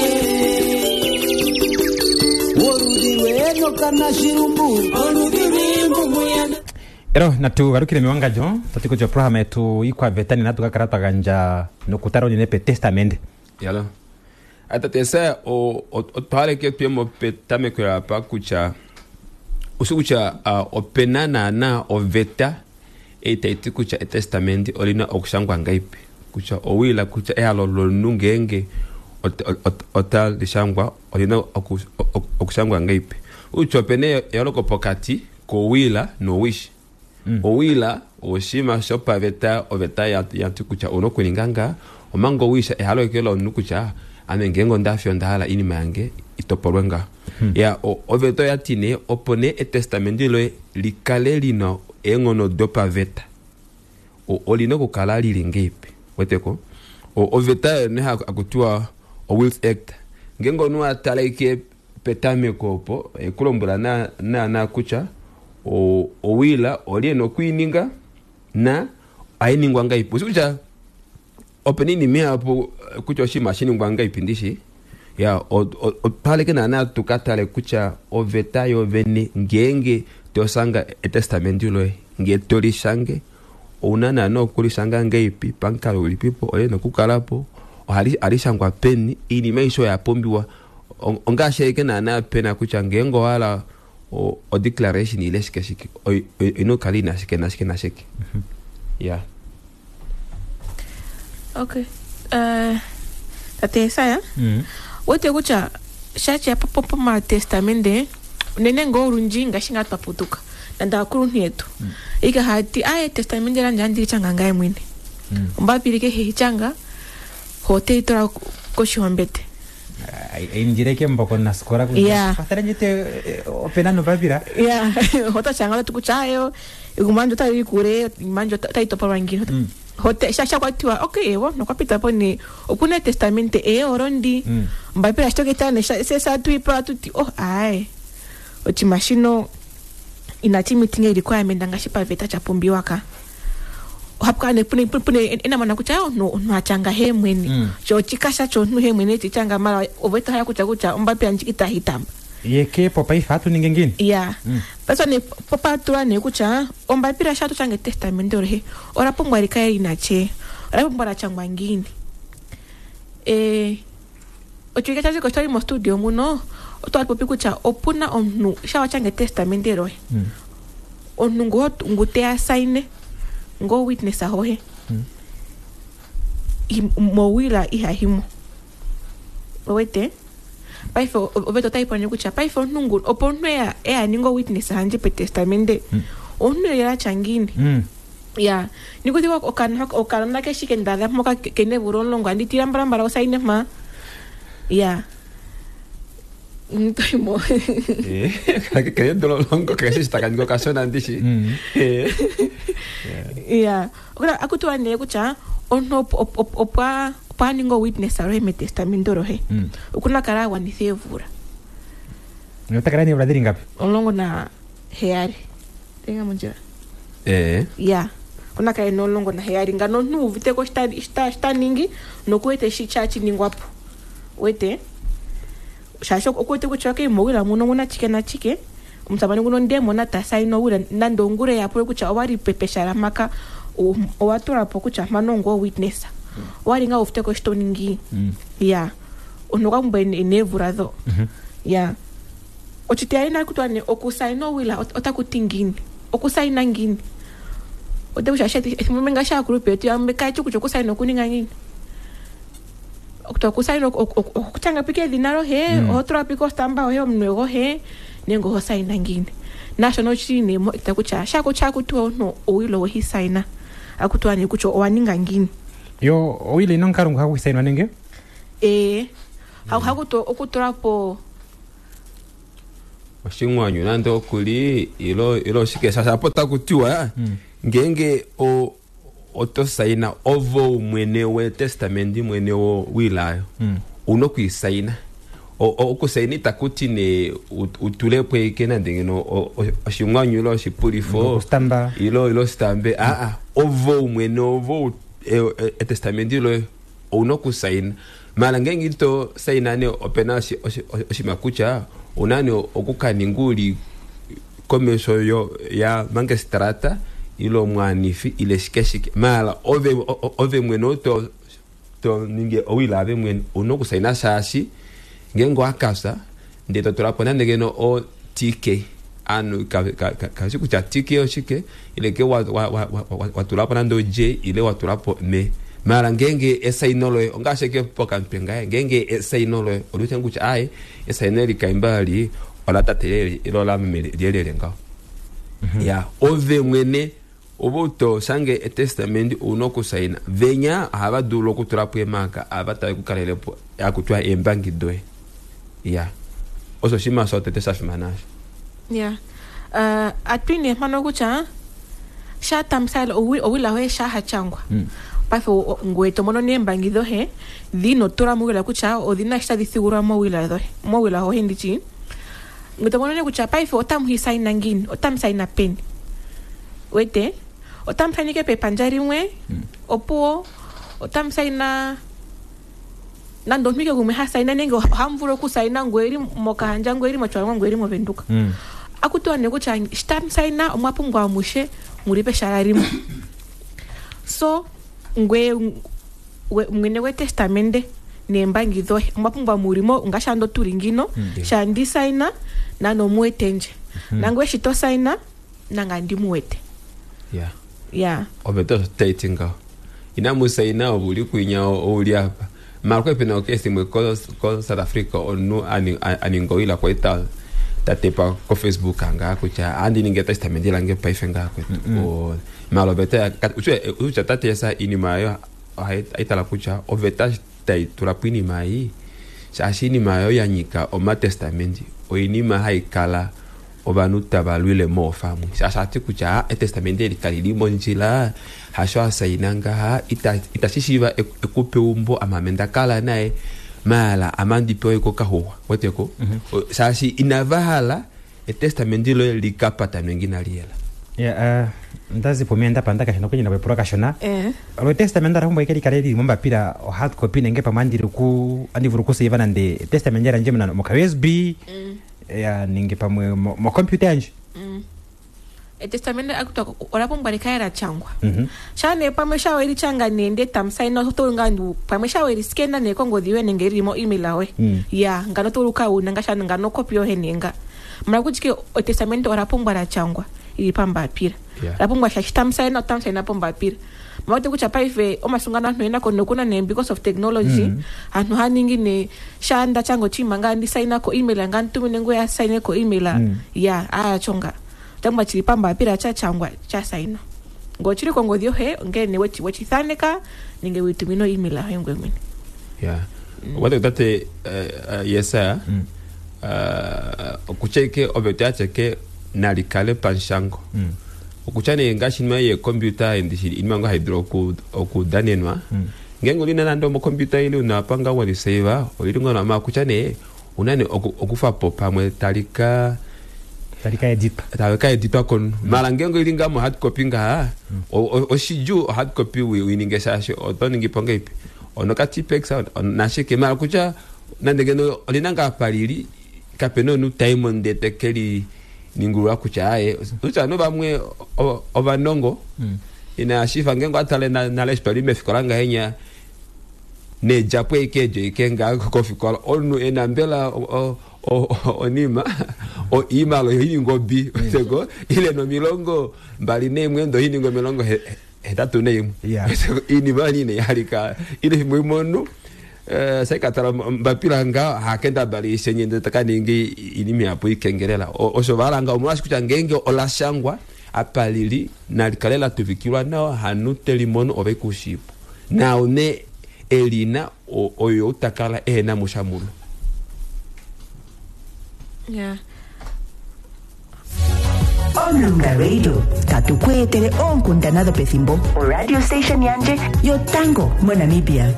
oludhi lwenoka nashirumbu oludhi lwiimbumu yane Ero natu galukile mewangadjo tati kutya oprograma yetu ikwaveta nena tukakala twa gandja nokutala unene petestamende. Yalo atate se otwaleke tuyemo petameko yapa kutya usi kutya uh, opena naana oveta ei tayi ti kutya etestamenti olina okushangwa ngaipi kutya owila kutya ehalo lomunhu ngeenge otali shangwa olina oku- oku- okushangwa ngaipi utya opena eyooloko pokati kowila nowish. Owila oshinima shopaveta oveta yati kutya ouna okuninga nga omanga owisha ehalo eke lomunhu kutya ame ngeenge ondafi onda hala iinima yange itopolwe nga. Ya oveta oyati nee opo nee etestamenti loye likale lina eenghono dopaveta olina okukala lili ngeipi weteko. Oveta ne hakutiwa o Wills Act ngeenge omunhu atala ike petameko opo ekulombwela naana kutya owila oli ena okwiininga na ohainingwa ngaipi ushi kutya opena iinima ihapu kutya oshinima ohashi ngaipi ndishi ya otwaleke naana tukatale kutya oveta yovene ngeenge tosanga etestamenti loye ngee tolishange ouna naana okulishanga ngeipi pamukalo ulipipo olina okukalapo ohali shangwa peni iinima aishe oya pumbiwa ongaashi ashike naana pena kutya ngeenge owahala o declaration ile shike shike oina okukala ina shike nashike nashike. Ya okay. Uh, tate Esaya wete kutya shacha pomatestamende unene ngoo olundji ngaashi ngaa twaputuka nande aakuluntu yetu ika hati aye testamende landje andili changa ngaye mwene ombapili kehe hichanga hote itola koshihombete indire mboko nasikola Yeah. kwathele opena nopapila ya hota changa tatu kutya ayo egumbo landje otali kule iinima yandje otayi topolwa ngiini hote sha kwatiwa okay ewo nokwapita po ne okuna etestamente ee olondi ombapila shitoketane sesatuipa tuti oh aye oshinima shino inachi mitinga requirement ngaashi paveta chapumbiwa ka ohapu kala pune pune enamona kutya omunhu omunhu achanga he mwene sho ochikasha chomunhu he mwene chichanga mara oveta haya kutya kutya ombapila ndjika itahitamba yeke po paife hatu ninge ngini ya pasa ne popatula ne kutya ombapila sha tochanga etestamende olohe ola pumbwa likale lina che ola pumbwa lachangwa ngini e ochiwike chaziko chali mo studio muno otwapopi kutya opuna omunhu sha wachanga etestamende lohe omunhu ngo ngu teya saine ngo witness ahohe mowila ihahimo owete paife oveta otayi pone kutya paife omunhu ngu opo omunhu eya eya ninga witness handje petestamende Omuntu lela tya ngiini? Mm. Ya nikuti okanona keshike ndadha mpoka kene vula omulongo andi tila mbalambala osaine mpa ya ntoimo. Kene dololongo keshe shitakaninga okashona ndishi. Eh. Ya akutiwa nee kutya omuntu op- op- op- opwa opo a ninga owitness rohe metestamento rohe Mm. okuna kala agwanitha eevula Ota kala neevula dhili ngapi? Omulongo na heyali tenga mondjila. Eh. Ya okuna kala ena omulongo naheyali ngano omuntu uviteko shita- shita shita ningi nokuwete shi sha shiningwapo wete shaashi okuwete kutya okay mowila muno omuna chike na chike omusamane nguno ndemona tasaina owila nande ongule yapule kutya owali pepeshala maka o- owatulapo kutya mpano ongo witness owali nga uviteko shi toningi. Mm. Ya omuntu okwa pumbwa ene- eneevula dho. Mhm. Ya ochitiyali nakutwa ne okusaina owila ot- otakuti ngiini okusaina ngiini ote kutya ethimbo limwe ngaashi aakulupe yetu yamwe kayeshi kutya okusaina okuninga ngiini okuti okusaina okutyanga pika edhina lohe. Mm. Oho tula pika ostamba yohe omunwe gohe nenge oho saina ngiini nashono oshili nee mo ita kutya shakutya akutiwa omuntu owila owehi saina akutiwa nee kutya owaninga ngiini. Yo owila ina omukalo ngu hagu sainwa nenge? Ee hakuti okutulapo Oshimwanyu nande okuli ilo ilo oshike shasha apo takutiwa ngenge o oto saina ovo mwene wetestamenti mwene wo wilayo Mm. una okuisaina. O- o- okusaina itakuti ne ut- utulepo ike nande ngeno o- o- oshimwanyu ilo oshipulifo Okustamba. ilo ilo stambe aa ovo mwene ovo e- e- etestamenti loye ouna okusaina mala ngenge ito saina ne opena oshi- oshi- oshima kutya una ne okukaninga uli komesho yo ya mangestrata ilo mwanifi ile shike shike mala ove o- o- ove mwene oto to ninge owila ave mwene una okusaina shaashi ngenge owakasa ndee totulapo nande ngeno o T K anu kashi kutya T K oshike ile ke watulapo wa, wa, wa, watulapo nande o J ile watulapo me mala ngenge esaino loye ongaashi eke pokamutwe ngaye ngenge esaino loye oliwete kutya aye esaino eli kaimba li ola tate leli ile ola meme lyelele ngaho ya ove mwene ove to shange etestamenti una okusaina venya ohava dulu okutulapo emaka ava tave kukalelepo akutwa eembangi doye ya osho oshinima shotete sha fimana asho. Ya uh, atwine mpano kutya shatamsala owila hoye shahachangwa paife ngoye tomono neembangi dhohe dhino tula mowila kutya odhina shi tadhi thigulwa mowila dhohe mowila hohe ndichi ngoye tomono ne kutya paife otamu hisaina ngiini otamu saina peni wete otamu sainike pepandja limwe opuwo otamu saina nande omuntu ike gumwe ha saina nenge ohamu vulu okusaina ngoye eli mOkahandja ngoye eli mOtjiwarongo ngoye eli mOvenduka. Mm. Akutiwa ne kutya shitamu saina omwa pumbwa amushe muli peshala limwe so ngwe we- mwene wetestamende neembangi dhohe omwa pumbwa mulimo ngaashi ando tuli ngino. Mm. Shandi saina nano muwete ndje nangwe shi to saina nanga ndimuwete. Ya ya oveta osho taiti ngaho inamu saina ove uli kwinya ouli apa mara kwe pena okesi imwe ko, ko South Africa omunhu ani- a- aninga owila kwali ta tatepa ko Facebook ngaa kutya andi ninge testament lange paife ngaa kwetu. O- mara oveta kutya tatesa iinima ayo haitala kutya oveta tayi tulapo iinima ayi shaashi iinima ayo ya nyika omatestamenti oinima hayi kala ovanhu tava lwile moofamwe shaashi ati kutya ah, etestamenti eli kali li mondjila hasho asaina ngaha ita- itashi shiiva eku- ekupe umbo amame ndakala naye maala amandipewa iko kahuwa weteko. O- shaashi inava hala etestamenti loye likapatanwe nginaliyela. Ya uh, ndazipo mie ndapanda kashona kwenyina kwepulwa kashona. Eh. Lo testament ara pumbwa ike likale lili mombapila o hard copy nenge pamwe andili ku andi vulu kuseiva nande testament yandje muna moka U S B ya nenge pamwe mo mo computer yandje. Mm. Etestamende akutwa ola pumbwa likale la changwa. Mhm. Shane pamwe shawe lichanga nende tamusaina tolunga ndu pamwe shawe liskena nekongodhi yoye nenge lili mo email awe. Mm. Ya ngano toluka una ngashana ngano kopi yohe nenga mara kutike etestamende ola pumbwa la changwa ili pambapila. Yeah. La pumbwa shashi tamusaina otamusaina pombapila mawete kutya paife omasungano anhu enako nokuna ne because of technology. Mm. Anhu haningi ne shanda chango chima nga ndisaina ko email nga ntumine nguya asaine ko email. Mm. Ya ayachonga Changwa chili pambapila cha changwa cha sainwa. Ngo chili kongodhi yohe ngele ne wechi wechi thaneka ninge witumino email ayo ngwe mwene. Ya wate tate eh, eh, yesaya eh, okucheke oveta yacheke nalikale panshango okutya nee ngaashi inima yeekombyuta endishi inima ngo haidulu oku- okudanenwa ngenge olina nande omokombyuta ili unapanga weliseiva olili ngono ma kutya nee una nee oku- okufapo pamwe talika talika editwa talika editwa kono mala ngenge ili nga mo hard copy ngaha o- o- oshidjuu o hard copy wi- wininge shaashi oto ningi po ngeipi ono ka tipex nashike mala kutya nande ngeno olina ngaa palili kapena omunhu taimo ndee tekeli ningulula kutya aye kutya no vamwe o- ovanongo ina shifa ngenge atale na- nale eshi twali mefikola ngahenya needjapo eke eedjo ike nga kofikola omunhu ena mbela o- o- o- onima o imalo yoininga obi seko ile nomilongo mbali neimwe ndo ininga omilongo he- hetatu neimwe Seko, inima nine yalika ile fimbo imwe omunhu eh, saikatala mbapila nga hakenda bali isenye ndee takaningi inima yapo ikengelela O- osho valanga omolwashi kutya ngenge olashangwa apa lili nalikale latuvikilwa nawa hanu telimono ove kushipo nao ne elina o- oyo utakala ehena musha mulo Yeah. Omulunga Radio tatu ku etele oonkundana dhopethimbo oradio station yandje yotango moNamibia.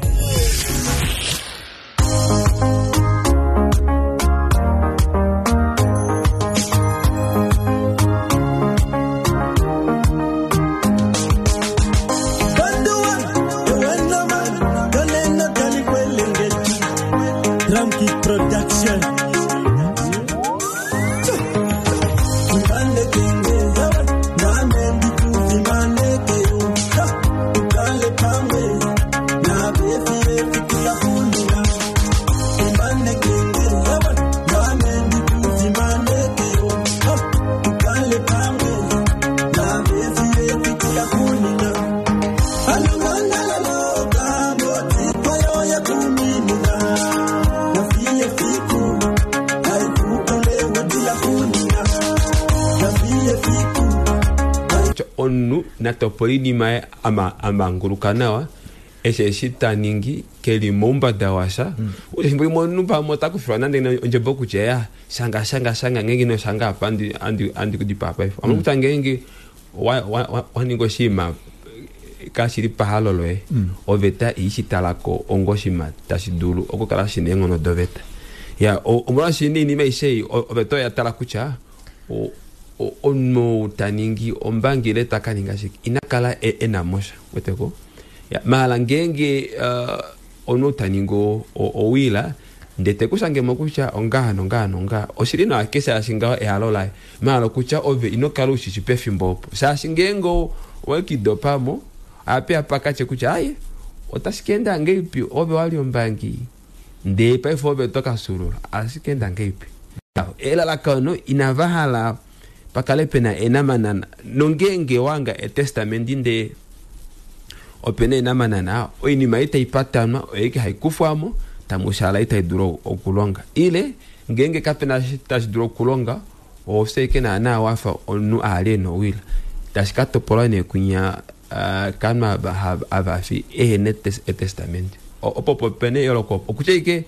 Ramki Production. Kutya omunhu natopola inima ye ama- amanguluka nawa eshi eshi taningi keli moumbada washa mm. efimbo limwe omunhu pamwe otakufilwa nande ondjebo kutya ya shanga shanga shanga ngenge ino shanga apa andi- andi andi kudipaa paife mm. kutya ngenge wa- wa- wa- waninga oshinima kashili pahalo loye Mm. oveta iishitalako onga oshinima tashi dulu okukala shina eenghono doveta ya o- omolwaashi niinima aishe ei o- oveta oya tala kutya o- o- omunhu ou taningi ombangi ile taka ninga shike ina kala e- ena mosha weteko ya maala ngeenge uh, omunhu ou taningi o- o- owila ndee tekushangemo kutya ongaha nongaha nongaha oshili nawa keshaashi ngaho ehalo laye maala kutya ove ino kala ushishi pefimbo opo shaashi ngeenge owekidopamo ape apakatye kutya aye otashi keenda ngeipi ove wali ombangi ndee paife ove tokasulula ashikeenda ngeipi elalakano inava hala pakale pena enamanana nongeenge wanga etestamenti ndee opena enamanana oinima ei taipatanwa oyeike haikufwamo tamushala itai dulu okulonga ile ngeenge kapena shi tashi dulu okulonga ofye naana wafa omunhu ali ena owila tashi ka topolwa nee kunya uh, kanhu ava hava- avafi ehena etes- etestamenti O- opo opo pena eyooloko opo okutya ike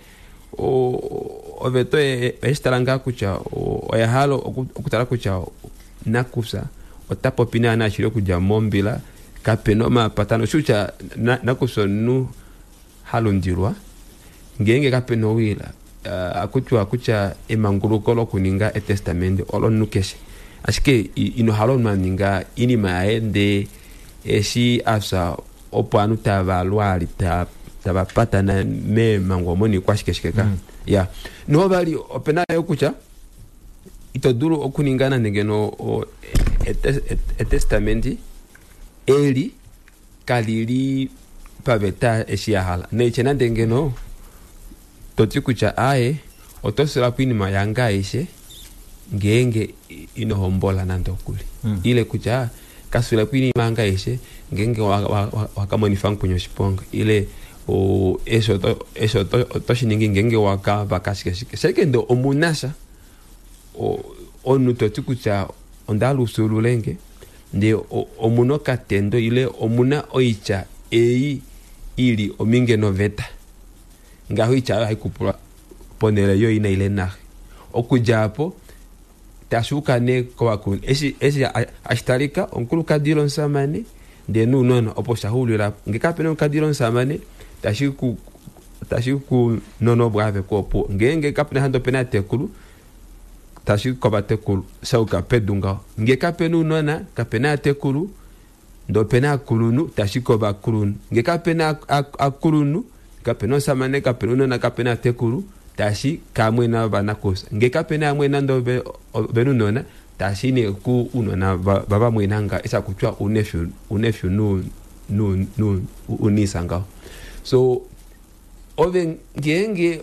o- oveta oye- oyeshitala ngaa kutya o- oya hala oku- okutala kutya nakufya ota popi naana shili okudja mombila kapena omapatano shi kutya na- nakufya omunhu halundilwa ngeenge kapena owila uh, akutiwa kutya emanguluko lokuninga etestamenti olomunhu keshe ashike i- ino hala omunhu aninga inima yaye ndee eshi afya opo ovanhu tava lwali ta- tava patana meemango omo niikwashikeshike ka Mm. ya noho vali opena yo kutya ito dulu okuninga nande ngeno o- ete- ete- etestamenti eli kalili paveta eshi ya hala neitye nande ngeno toti kutya aye oto sulapo inima yange aishe ngeenge ino hombola nande okuli Mm. ile kutya kasulapo inima yange aishe ngeenge wakamonifa mukwenye oshiponga ile o, eshi oto- eshi oto- oto shiningi ngeenge wakavaka shikeshike shekende omunasha o- omunhu toti kutya onda hala ufyuululenge ndee omuna okatendo ile omuna oitya ei ili ominge noveta ngaho oitya oyo haikupulwa ponhele yoina ile naxe. Okudja apo tashuuka nee kovakulunhu eshi eshi ashitalika omukulukadi ile omusamane ndee nounona opo shaxuulila ngee kapena omukadi ile omusamane tashi ku tashi ku nona opo aveko opo ngeenge kapena hande opena atekulu tashi kovatekulu shauka pedu ngaho ngee kapena ounona kapena atekulu ndee opena akulunhu tashi kovakulunhu ngee kapena akulunhu kapena omusamane kapena ounona kapena atekulu tashi kamwena vanakusa ngee kapena amwena ndee ovena ounona tashi nee ku unona vavamwena nga eshi akutya unefyu unefyu nu nu nu unisa ngaho. So ove ngeenge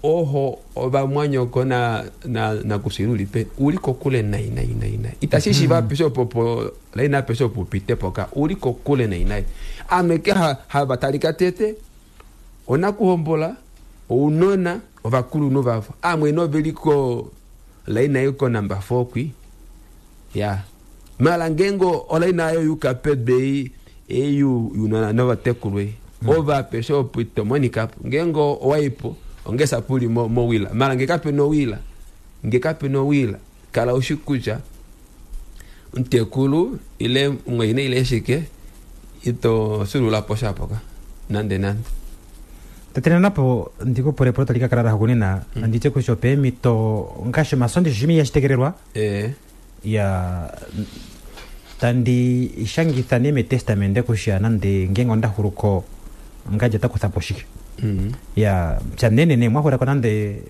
oho ovamwanyoko na na nakusila uli peni uli kokule nai nai nai nai itashi shiva apeshe opo po laina apeshe opo upite poka uli kokule nai nai ame ke hava talika tete onakuhombola ounona ovakulunhu vavo amwe noveliko laina iko number four kwi ya mala ngengo olaina ayo yuka pedei eyu yunona novatekulwe ova apeshe opo itomonika ngengo owaipo ongesa puli mo, mo wila mara nge kape no wila nge kape no wila kala ushikuja ntekulu ile mweine ile shike ito sulula posha poka nande nande tatena napo ndiko pore pore talika karara hukunena mm. andite kushope mito ngasho masondi shimi yashitegererwa eh ya tandi ishangitha ne testament kusha nande ngengo ndahuruko ngaje takuthapo shike Mm. Ya pyanene ne mwahura ko nande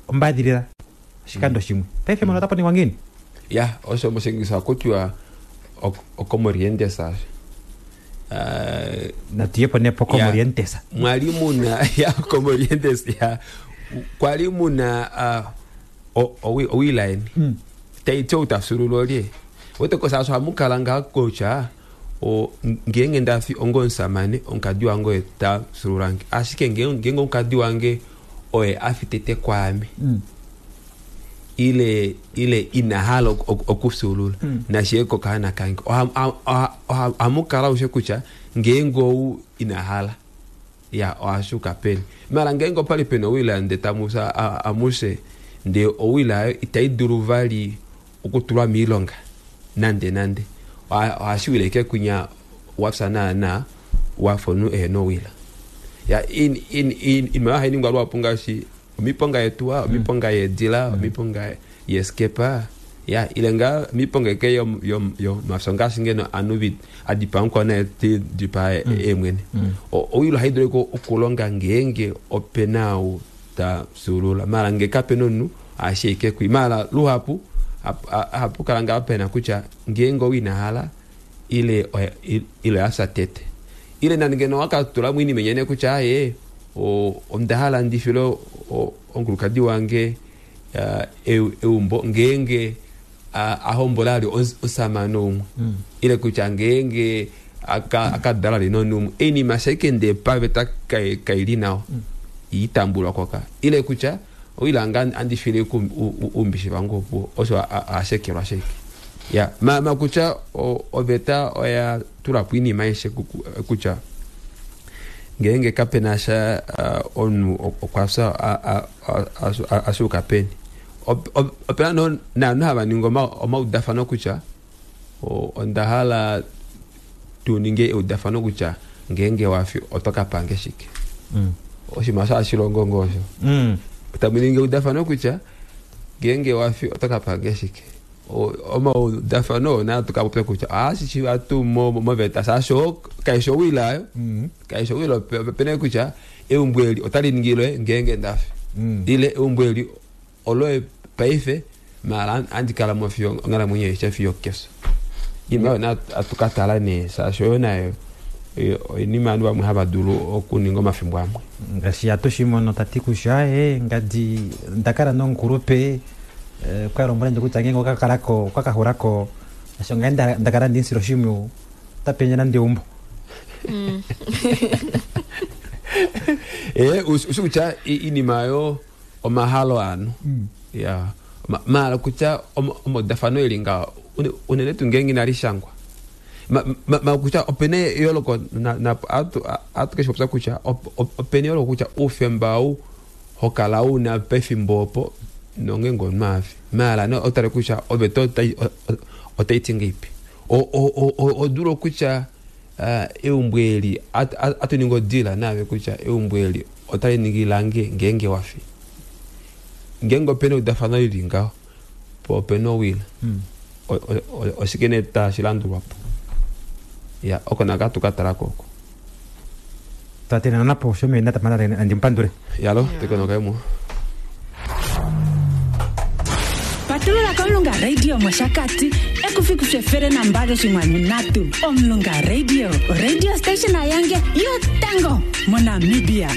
ombadilira shikando shimwe paife mono tapo ningwa ngini ya osho moshingisa kutya okomorientesa uh, natiyepo nepo komorientesa mwali muna ya komorientesa ya kwali muna uh, owilaini mm. taityo utasulula olye wetekosa aso hamukala nga kocha o ngeenge ndafi ongo omusamane omukadi wange oye ta sululange ashike ngeenge omukadi wange oye afi tete kwaame mm. ile ile inahala okusulula mm. nashiye kokahana kange ohamukala ushe kutya ngeenge ou inahala ya ohashuka peni mala ngeenge opali pena owila nde tamusa amuse nde owila ayo itai dulu vali okutulwa miilonga nande nande ohashiwileke kunya wafya naana wafonu ehena owila ya in in in imayo hainingwa lwapu ngaashi omiponga yetuwa omiponga yeedila omiponga yeskepa ya ile nga miponga eke yo yo yo mafyo ngaashi ngeno anu adipa mukwana ti dipa emwene owilo haidulu okulonga ngeenge opena ou ta sulula mala nge kapena omunhu ashike kwi mala luhapu hapu kala nga pena kutya ngeenge owinahala ile ile asa tete ile nande ngeno wakatula mwini menyene kutya aye ondahala ndifilo onkulukadi wange eumbo ngeenge ahombola ali osamane umwe ile kutya ngeenge akadala lino numwe einima shaike nde paveta kaili nawa itambulwa koka ile kutya oilanga andifile ku umbishi vangu opo osho ashekelwa sheke ya ma ma kutya oveta oya tulapo iinima aishe kutya ngeenge kapena sha omunhu okwafya ashuka peni opena naanhu hava ningi omaudafano kutya onda hala tuninge eudafano kutya ngeenge wafi oto kapange shike oshinima sha shilongo ngosho tamuningi eudafano kutya ngeenge wafi oto kapange shike omaudafano ona tukapopya kutya ashishi atu moveta shasho kaisho owila ayo kaisho owila opena kutya eumbo eli otali ningilwe ngeenge ndafi ile eumbo eli oloye paife mala andikala mo fiyo onghalamwenyo aishe fiyo keso inima yona atukatala nee shaashi oyo nayo oinima ovanhu vamwe hava dulu okuninga omafimbo amwe ngaashi atushimono tati kutya e ngadi ndakala nomukulupe kwa lombwela ndje kutya ngeenge okakalako okakahulako asho ngai ndakala ndinsila oshimwiyu otapenye nande eumbo e ushi kutya iinima yo omahalo anu ya Ma- maala kutya omo- omaudafano eli ngaho une- unene tuu ngeenge inali shangwa. Ma- ma- ma kutya opena eyooloko na- na- atu atu keshi popya kutya op- op- opena eyooloko kutya oufemba ou hokala una pefimbo opo nongeenge omunhu afi maala ne otale kutya oveta otai- o- o- otaiti ngeipi. O- o- o- o- odulu okutya ah, eumbo eli at- at- atuningi odila naave kutya eumbo eli otali ningi lange ngeenge wafi. Ngeenge opena eudafano lili ngaho po opena owila. O- o- o- oshike nee tashi landulwapo? Ya oko naka tukatalako oko. Tate nanapo shome natapana nandimupandule. Yalo tekonokaimo. Patulula kOmulunga Radio mOshakati ekufiku efele nambali oshinkwanu ndatu. Omulunga Radio, radio station yange yotango moNamibia.